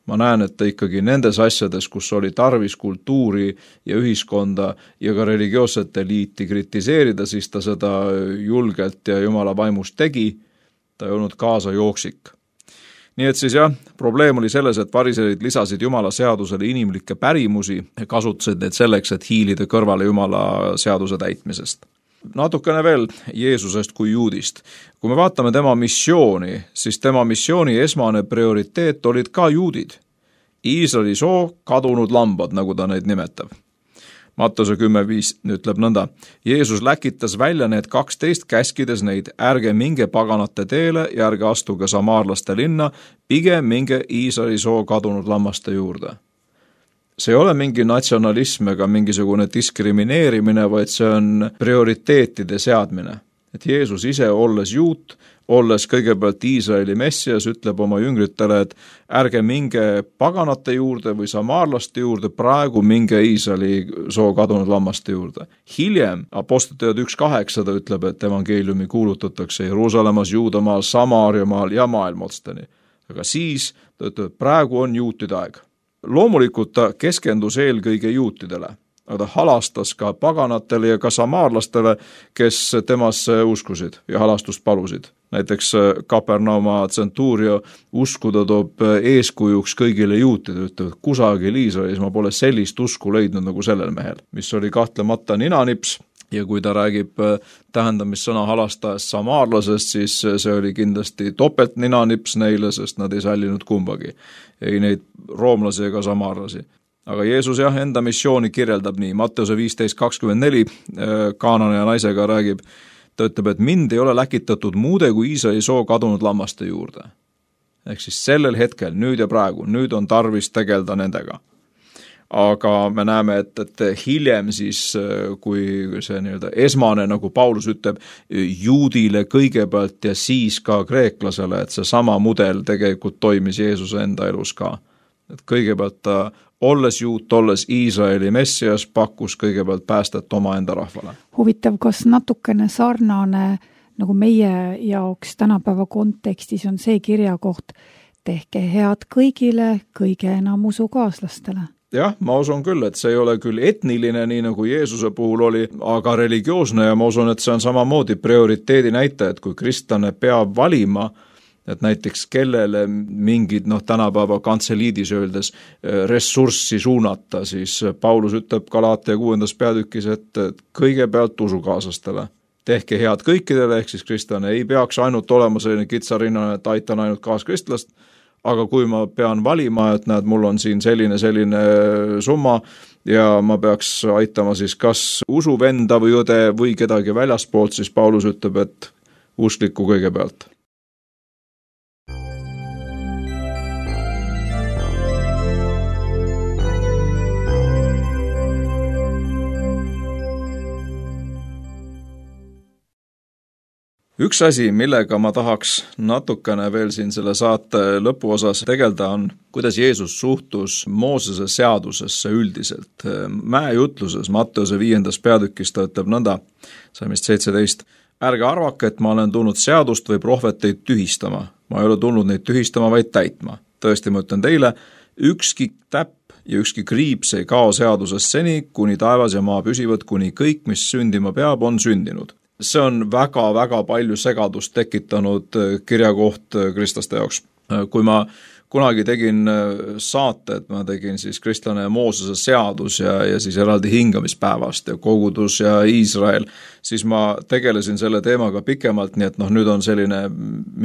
Ma näen, et ta ikkagi nendes asjades, kus oli tarvis kultuuri ja ühiskonda ja ka religioosset eliiti kritiseerida, siis ta seda julgelt ja Jumala vaimust tegi, ta ei olnud kaasa jooksik. Nii et siis jah, probleem oli selles, et variserid lisasid Jumala seadusele inimlikke pärimusi ja kasutasid need selleks, et hiilida kõrvale Jumala seaduse täitmisest. Natukene veel Jeesusest kui juudist. Kui me vaatame tema missiooni, siis tema missiooni esmane prioriteet olid ka juudid. Iisraeli soo kadunud lambad, nagu ta neid nimetab. Mattuse kümme viis ütleb nõnda. Jeesus läkitas välja need kaksteist käskides neid, ärge minge paganate teele ja ärge astuge samaarlaste linna, pigem minge Iisraeli soo kadunud lammaste juurde. See ei ole mingi natsionalism ega mingisugune diskrimineerimine, vaid see on prioriteetide seadmine. Et Jeesus ise, olles juut, olles kõigepealt Iisraeli messias, ütleb oma jüngritele, et ärge minge paganate juurde või samaarlaste juurde, praegu minge Iisraeli soo kadunud lammaste juurde. Hiljem, Apostliteod üks kaheksa ütleb, et evangeeliumi kuulutatakse Jeruusalemmas, Juudamaal, Samaariamaal ja maailmotsteni. Aga siis ta ütleb, praegu on juutide aeg. Loomulikult ta keskendus eelkõige juutidele. aga ta halastas ka paganatele ja ka samaarlastele, kes temasse uskusid ja halastust palusid. Näiteks Kapernauma tsentuurio uskuda toob eeskujuks kõigile juutide, ütleb, kusagil Iisraelis ma pole sellist usku leidnud nagu sellel mehel, mis oli kahtlemata ninanips. Ja kui ta räägib tähendamissõna halastajast samaarlasest, siis see oli kindlasti topelt ninanips neile, sest nad ei sallinud kumbagi. Ei neid roomlasi ega samaarlasi. Aga Jeesus jah, enda missiooni kirjeldab nii. Matteuse viisteist kakskümmend neli Kaanani ja naisega räägib, ta ütleb, et mind ei ole läkitatud muude kui Iisraeli soo kadunud lammaste juurde. Ehk siis sellel hetkel, nüüd ja praegu, nüüd on tarvis tegelda nendega. Aga me näeme, et, et hiljem siis, kui see nii-öelda esmane, nagu Paulus ütleb, juudile kõigepealt ja siis ka kreeklasele, et see sama mudel tegelikult toimis Jeesuse enda elus ka. Et kõigepealt ta, olles juut, olles Iisraeli messias, pakkus kõigepealt päästet oma enda rahvale. Huvitav, kas natukene sarnane nagu meie jaoks tänapäeva kontekstis on see kirjakoht, tehke head kõigile, kõige enam usukaaslastele? Jah, ma usun küll, et see ei ole küll etniline, nii nagu Jeesuse puhul oli, aga religioosne ja ma usun, et see on samamoodi prioriteedi näite, et kui kristlane peab valima, et näiteks kellele mingid, noh, tänapäeva kantseliidis öeldes ressurssi suunata, siis Paulus ütleb Galaatia kuuendas peatükis, et kõigepealt usukaaslastele. Tehke head kõikidele, ehk siis kristlane ei peaks ainult olema selline kitsarinnane, et aitan ainult kaaskristlast, aga kui ma pean valima, et näed, mul on siin selline, selline summa ja ma peaks aitama siis kas usuvenda või õde või kedagi väljaspoolt, siis Paulus ütleb, et uskliku kõigepealt. Üks asi, millega ma tahaks natukene veel siin selle saate lõpuosas tegelda, on, kuidas Jeesus suhtus Moosese seadusesse üldiselt. Mäejutluses Matteuse viiendas peatükis ta ütleb nõnda, salmist seitseteist, ärge arvake, et ma olen tulnud seadust või prohveteid tühistama. Ma ei ole tulnud neid tühistama, vaid täitma. Tõesti, ma ütlen teile, ükski täpp ja ükski kriips ei kao seadusest seni, kuni taevas ja maa püsivad, kuni kõik, mis sündima peab, on sündinud. See on väga-väga palju segadust tekitanud kirjakoht kristlaste jaoks. Kui ma kunagi tegin saate, et ma tegin siis kristlane ja Moosese seadus ja, ja siis eraldi hingamispäevast ja kogudus ja Iisrael, siis ma tegelesin selle teemaga pikemalt, nii et noh, nüüd on selline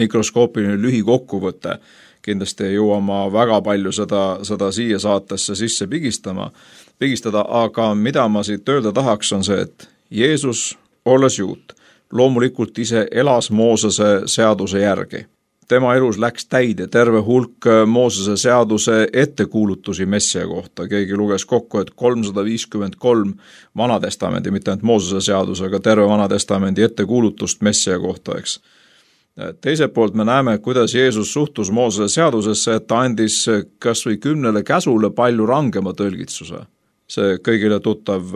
mikroskoopiline lühikokkuvõte. Kindlasti ei jõua ma väga palju seda, seda siia saatesse sisse pigistama, pigistada, aga mida ma siit öelda tahaks on see, et Jeesus olles juut, loomulikult ise elas Moosese seaduse järgi. Tema elus läks täide terve hulk Moosese seaduse ettekuulutusi messia kohta. Keegi luges kokku, et kolmsada viiskümmend kolm vanatestamendi, mitte ainult Moosese seadus, aga terve vanatestamendi ettekuulutust messia kohta, eks. Teiselt poolt me näeme, kuidas Jeesus suhtus Moosese seadusesse, et ta andis kas või kümnele käsule palju rangema tõlgitsuse. See kõigile tuttav,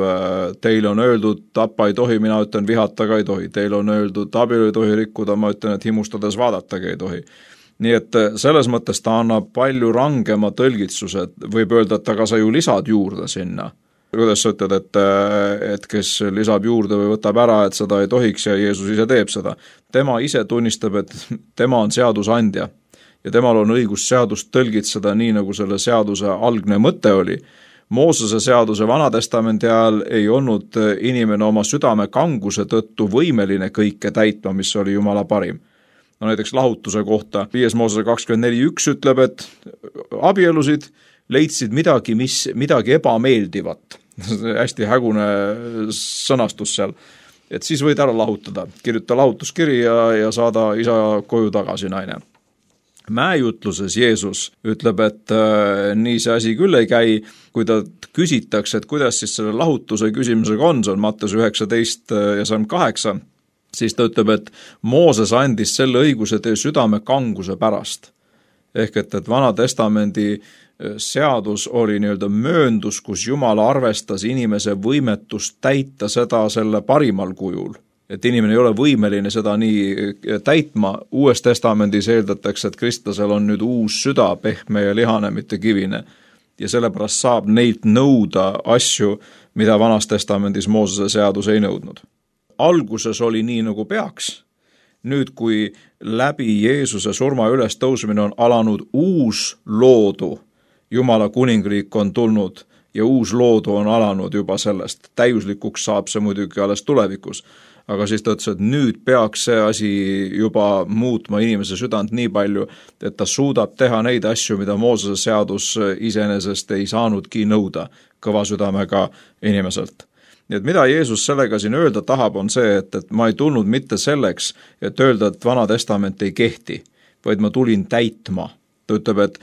teile on öeldud, tappa ei tohi, mina ütlen, vihataga ei tohi. Teile on öeldud, abielu ei tohi rikkuda, ma ütlen, et himustades vaadatagi ei tohi. Nii et selles mõttes ta annab palju rangema tõlgitsuse, võib öelda, et aga sa ju lisad juurde sinna. Kuidas sa ütled, et, et kes lisab juurde või võtab ära, et seda ei tohiks ja Jeesus ise teeb seda. Tema ise tunnistab, et tema on seadusandja ja temal on õigus seadust tõlgitseda nii, nagu selle seaduse algne mõte oli. Moosese seaduse vanatestamendi ajal ei olnud inimene oma südame kanguse tõttu võimeline kõike täitma, mis oli Jumala parim. No näiteks lahutuse kohta viies Moosese kakskümmend neli üks ütleb, et abielusid leidsid midagi, mis, midagi ebameeldivat. Hästi hägune sõnastus seal. Et siis võid ära lahutada, kirjuta lahutuskiri ja, ja saada isa koju tagasi naine. Mäejutluses Jeesus ütleb, et äh, nii see asi küll ei käi, kui ta küsitakse, et kuidas siis selle lahutuse küsimusega on, see on Matteuse üheksateist ja salm kaheksa, siis ta ütleb, et Mooses andis selle õiguse teie südame kanguse pärast. Ehk et, et Vanatestamendi seadus oli nii-öelda mööndus, kus Jumal arvestas inimese võimetust täita seda selle parimal kujul. Et inimene ei ole võimeline seda nii täitma. Uues testamendis eeldatakse, et kristlasel on nüüd uus süda, pehme ja lihane, mitte kivine. ja sellepärast saab neilt nõuda asju, mida Vanas Testamendis Moosese seadus ei nõudnud. Alguses oli nii, nagu peaks. Nüüd, kui läbi Jeesuse surma üles tõusmine on alanud uus loodu, Jumala kuningriik on tulnud ja uus loodu on alanud juba sellest. Täiuslikuks saab see muidugi alles tulevikus. Aga siis ta ütles, et nüüd peaks see asi juba muutma inimese südant nii palju, et ta suudab teha neid asju, mida Moosese seadus iseenesest ei saanudki nõuda kõva südamega inimeselt. Nii et mida Jeesus sellega siin öelda tahab, on see, et, et ma ei tulnud mitte selleks, et öelda, et Vana Testament ei kehti, vaid ma tulin täitma. Ta ütleb, et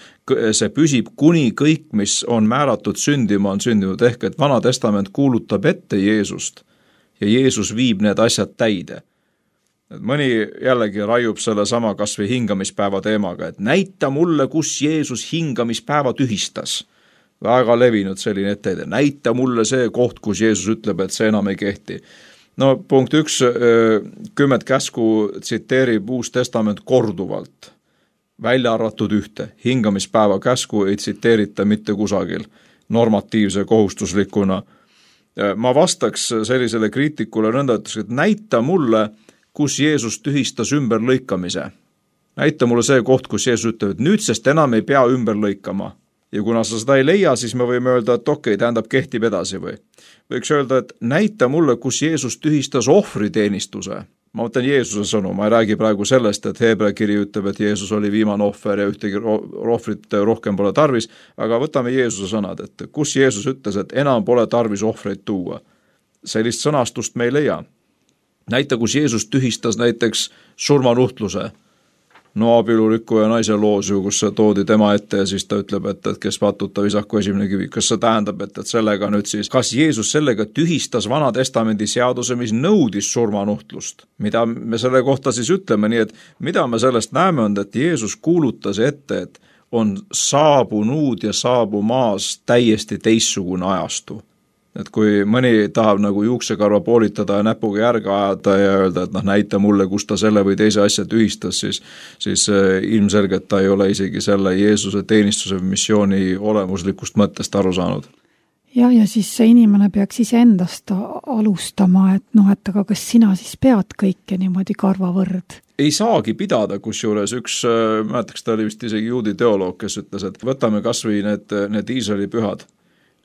see püsib kuni kõik, mis on määratud sündima, on sündinud, ehk et Vana Testament kuulutab ette Jeesust ja Jeesus viib need asjad täide. Et mõni jällegi raiub selle sama kas või hingamispäeva teemaga, et näita mulle, kus Jeesus hingamispäeva tühistas. Väga levinud selline etteide. Näita mulle see koht, kus Jeesus ütleb, et see enam ei kehti. No punkt üks, kümmet käsku tsiteerib Uus Testament korduvalt. Välja arvatud ühte. Hingamispäeva käsku ei tsiteerita mitte kusagil normatiivse kohustuslikuna. Ma vastaks sellisele kriitikule nõnda, et näita mulle, kus Jeesus tühistas ümberlõikamise. Näita mulle see koht, kus Jeesus ütleb, et nüüdsest enam ei pea ümber lõikama. Ja kuna sa seda ei leia, siis me võime öelda, et okei, tähendab kehtib edasi või. Võiks öelda, et näita mulle, kus Jeesus tühistas ohvriteenistuse. Ma mõtlen Jeesuse sõnu, ma ei räägi praegu sellest, et Heebrea kiri ütleb, et Jeesus oli viimane ohver ja ühtegi ohvrit rohkem pole tarvis, aga võtame Jeesuse sõnad, et kus Jeesus ütles, et enam pole tarvis ohvreid tuua. Sellist sõnastust me ei leia. Näita, kus Jeesus tühistas näiteks surmanuhtluse. No abielurikku ja naise loos ju, kus see toodi tema ette ja siis ta ütleb, et, et kes patuta visaku esimene kivi. Kas see tähendab, et, et sellega nüüd siis, kas Jeesus sellega tühistas Vana Testamendi seaduse, mis nõudis surmanuhtlust? Mida me selle kohta siis ütleme, nii et mida me sellest näeme on, et Jeesus kuulutas ette, et on saabunud ja saabumaas täiesti teissugune ajastu. Et kui mõni tahab nagu juuksekarva poolitada ja näpuga järge ajada ja öelda, et noh, näita mulle, kus ta selle või teise asja tühistas, siis, siis ilmselgelt ta ei ole isegi selle Jeesuse teenistuse missiooni olemuslikust mõttest aru saanud. Ja, ja siis see inimene peaks ise endast alustama, et noh, et aga kas sina siis pead kõike niimoodi karvavõrd? Ei saagi pidada, kus juures üks, mäletaks ta oli vist isegi juudi teoloog, kes ütles, et võtame kas või need, need Iisraeli pühad.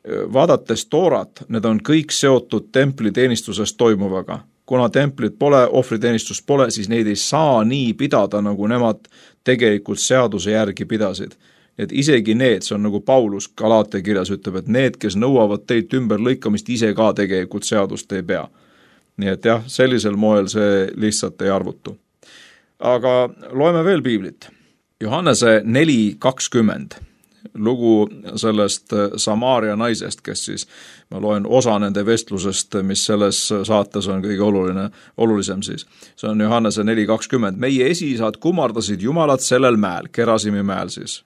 Vaadates Toorat, need on kõik seotud templiteenistusest toimuvaga. Kuna templit pole, ohvriteenistus pole, siis neid ei saa nii pidada, nagu nemad tegelikult seaduse järgi pidasid. Et isegi need, see on nagu Paulus Galaate kirjas ütleb, et need, kes nõuavad teilt ümber lõikamist, ise ka tegelikult seadust ei pea. Nii et jah, sellisel moel see lihtsalt ei arvutu. Aga loeme veel piiblit. Johannese neli kakskümmend. Lugu sellest Samaaria naisest, kes siis, ma loen osa nende vestlusest, mis selles saates on kõige oluline, olulisem siis. See on Johannese neli kakskümmend. Meie esiisad kummardasid Jumalat sellel mäel, Kerasimi mäel siis.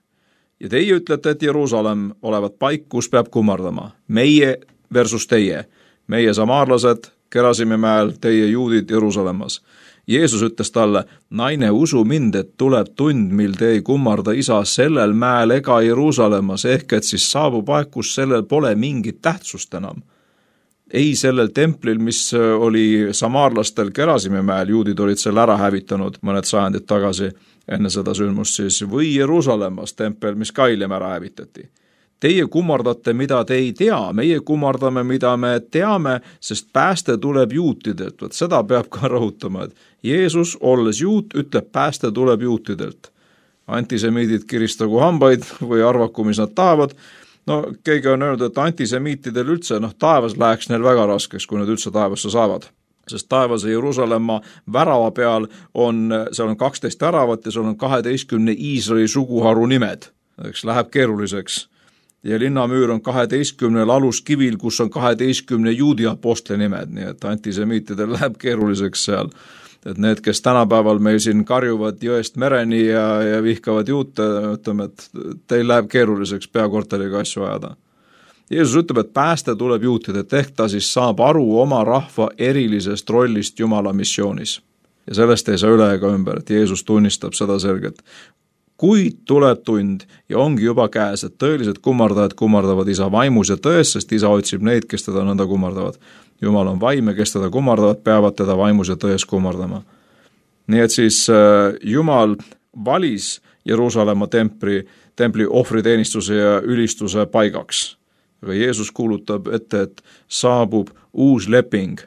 Ja teie ütlete, et Jeruusalemm olevat paik, kus peab kummardama. Meie versus teie. Meie samaarlased Kerasimi mäel, teie juudid Jeruusalemmas. Jeesus ütles talle, naine, usu mind, et tuleb tund, mil te ei kummarda isa sellel mäel ega Jeruusalemmas, ehk et siis saabub aeg, kus sellel pole mingit tähtsust enam. Ei sellel templil, mis oli samaarlastel Kerasimi mäel, juudid olid selle ära hävitanud mõned sajandid tagasi enne seda sündmust siis, või Jeruusalemmas tempel, mis ka hiljem ära hävitati. Teie kummardate, mida te ei tea, meie kummardame, mida me teame, sest pääste tuleb juutidelt. Võt seda peab ka rõhutama, et Jeesus, olles juut, ütleb, pääste tuleb juutidelt. Antisemiidid kiristagu hambaid või arvaku, mis nad tahavad. No keegi on öelnud, et antisemiitidel üldse, noh taevas läheks neil väga raskeks, kui nad üldse taevasse saavad. Sest taevase Jeruusalemma värava peal on, seal on kaksteist väravat ja seal on kaheteistkümne Iisraeli suguharu nimed. Eks läheb keeruliseks. Ja linnamüür on kaheteistkümnel aluskivil, kus on kaheteistkümne juudi apostli nimed, nii et antisemiitidel läheb keeruliseks seal. Et need, kes tänapäeval meil siin karjuvad jõest mereni ja, ja vihkavad juute, ütleme, et teil läheb keeruliseks peakorteriga asju ajada. Jeesus ütleb, et pääste tuleb juutida, et ehk ta siis saab aru oma rahva erilisest rollist Jumala missioonis. Ja sellest ei saa üle ega ümber, et Jeesus tunnistab seda selgelt. kuid tuleb tund ja ongi juba käes, et tõelised kummardajad kummardavad isa vaimus ja tões, sest isa otsib neid, kes teda nõnda kummardavad. Jumal on vaim ja kes teda kummardavad, peavad teda vaimus ja tões kummardama. Nii et siis Jumal valis Jeruusalemma templi, templi ohvriteenistuse ja ülistuse paigaks. Aga Jeesus kuulutab ette, et saabub uus leping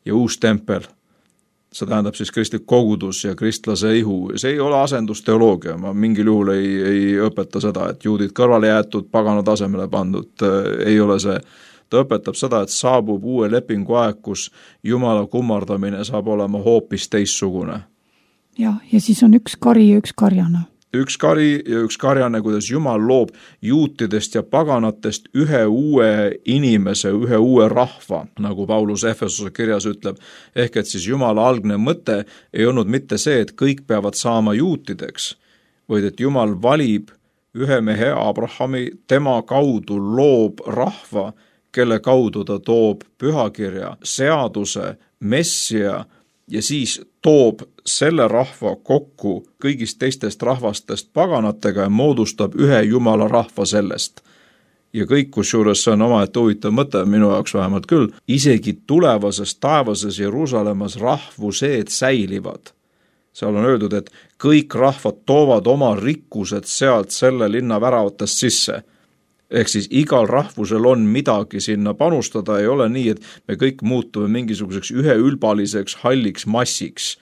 ja uus tempel. See tähendab siis kristlik kogudus ja kristlase ihu. See ei ole asendusteoloogia, ma mingil juhul ei, ei õpeta seda, et juudid kõrvale jäetud, pagana tasemele pandud, ei ole see. Ta õpetab seda, et saabub uue lepingu aeg, kus Jumala kummardamine saab olema hoopis teissugune. Ja, ja siis on üks kari ja üks karjana. Üks kari ja üks karjane, kuidas Jumal loob juutidest ja paganatest ühe uue inimese, ühe uue rahva, nagu Paulus Efesuse kirjas ütleb. Ehk et siis Jumala algne mõte ei olnud mitte see, et kõik peavad saama juutideks, vaid et Jumal valib ühe mehe Abrahami, tema kaudu loob rahva, kelle kaudu ta toob pühakirja, seaduse, messia ja siis toob selle rahva kokku kõigist teistest rahvastest paganatega ja moodustab ühe Jumala rahva sellest. Ja kõik, kus juures see on omaette huvitav mõte, minu jaoks vähemalt küll, isegi tulevases taevases Jeruusalemmas rahvuseed säilivad. Seal on öeldud, et kõik rahvad toovad oma rikkused sealt selle linna väravatest sisse. Ehk siis igal rahvusel on midagi sinna panustada, ei ole nii, et me kõik muutume mingisuguseks üheülbaliseks halliks massiks,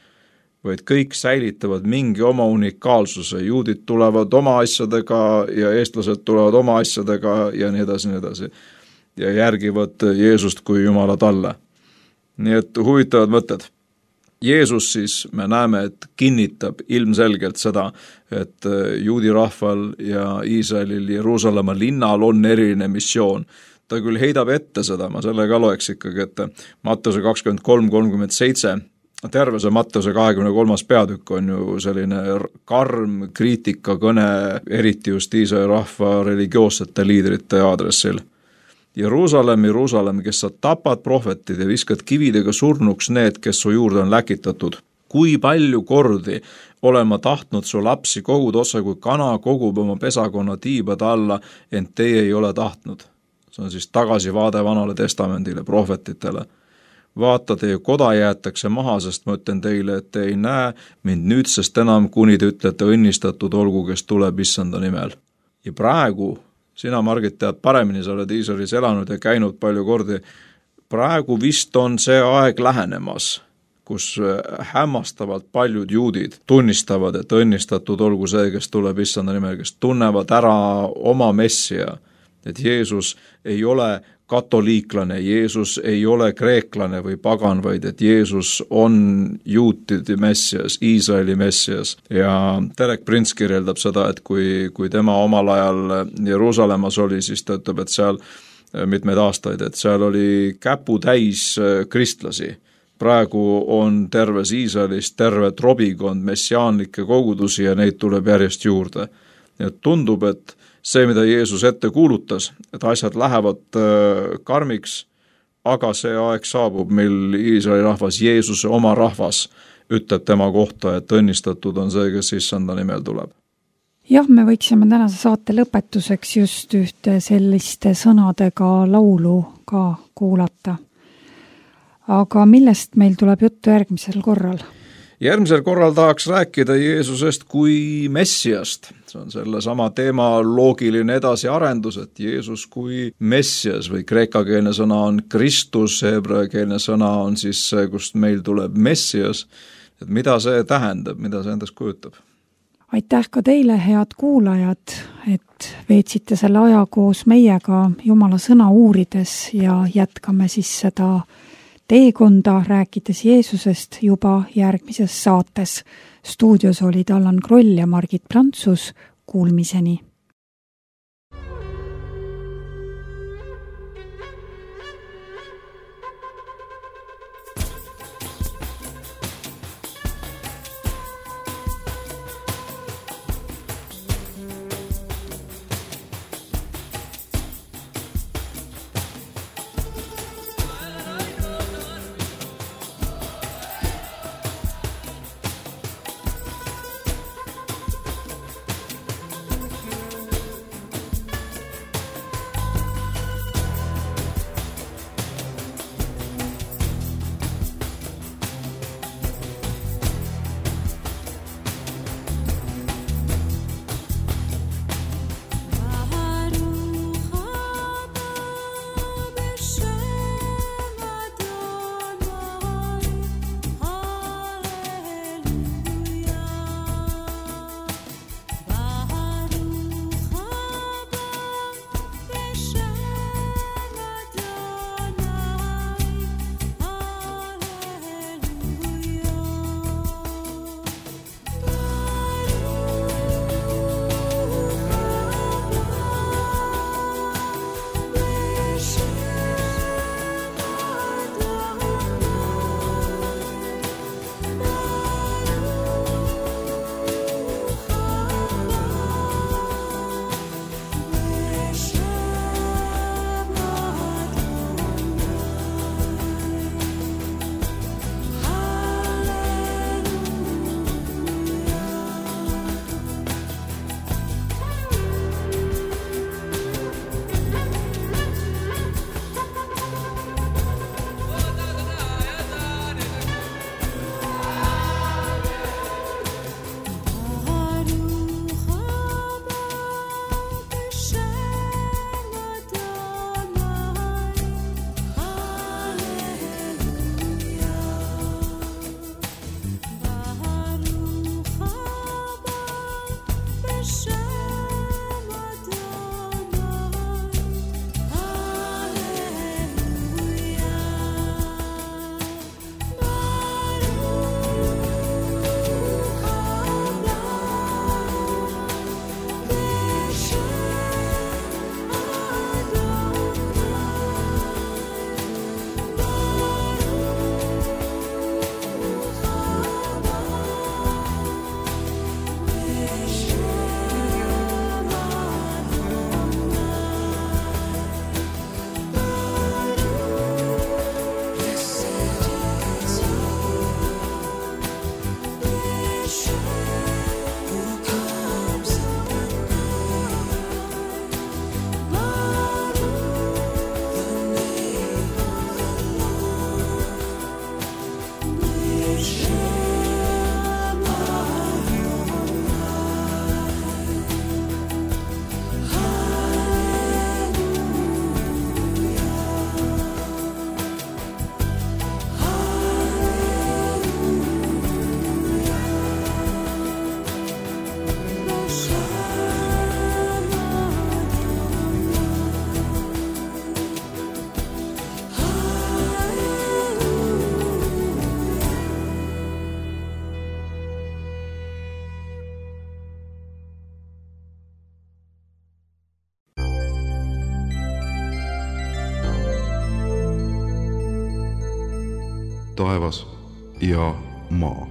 vaid kõik säilitavad mingi oma unikaalsuse. Juudid tulevad oma asjadega ja eestlased tulevad oma asjadega ja nii edasi, nii edasi. Ja järgivad Jeesust kui Jumala talle. Nii et huvitavad mõtted. Jeesus siis, me näeme, et kinnitab ilmselgelt seda, et juudi rahval ja Iisraelil Jeruusalemma linnal on eriline missioon. Ta küll heidab ette seda, ma selle ka loeks ikkagi ette. Matteuse kakskümmend kolm kolmkümmend seitse, terve see Matteuse kahekümne kolmas peatükk on ju selline karm kriitikakõne, eriti just Iisraeli rahva religioossete liidrite aadressil. Jeruusalemm, Jeruusalemm, kes sa tapad prohvetid ja viskad kividega surnuks need, kes su juurde on läkitatud. Kui palju kordi olen ma tahtnud su lapsi kogud otsa, kui kana kogub oma pesakonna tiibade alla, ent teie ei ole tahtnud. See on siis tagasivaade vanale testamendile, prohvetitele. Vaata, teie koda jäetakse maha, sest ma ütlen teile, et te ei näe mind nüüdsest enam, kuni te ütlete õnnistatud olgu, kes tuleb issanda nimel. Ja praegu sina, Margit, tead paremini, sa oled Iisraelis elanud ja käinud palju kordi. Praegu vist on see aeg lähenemas, kus hämmastavalt paljud juudid tunnistavad, et õnnistatud olgu see, kes tuleb issanda nimel, kes tunnevad ära oma messia, et Jeesus ei ole katoliiklane, Jeesus ei ole kreeklane või pagan, vaid et Jeesus on juutide messias, Iisraeli messias. Ja Derek Prince kirjeldab seda, et kui, kui tema omal ajal Jeruusalemmas oli, siis ta ütleb, et seal mitmeid aastaid, et seal oli käpu täis kristlasi. Praegu on terves Iisraelis terve trobikond messiaanlikke kogudusi ja neid tuleb järjest juurde. Ja tundub, et see, mida Jeesus ette kuulutas, et asjad lähevad karmiks, aga see aeg saabub, mil Iisraeli rahvas, Jeesuse oma rahvas, ütleb tema kohta, et õnnistatud on see, kes issanda nimel tuleb. Jah, me võiksime tänase saate lõpetuseks just ühte selliste sõnadega laulu ka kuulata. Aga millest meil tuleb juttu järgmisel korral? Järgmisel korral tahaks rääkida Jeesusest kui messiast. See on selle sama teema loogiline edasiarendus, et Jeesus kui messias või kreekakeelne sõna on Kristus, hebraekeelne sõna on siis see, kust meil tuleb messias. Et mida see tähendab, mida see endast kujutab? Aitäh ka teile, head kuulajad, et veetsite selle aja koos meiega Jumala sõna uurides ja jätkame siis seda teekonda rääkides Jeesusest juba järgmises saates. Stuudios olid Allan Kroll ja Margit Prantsus. Kuulmiseni! taevas ja maa.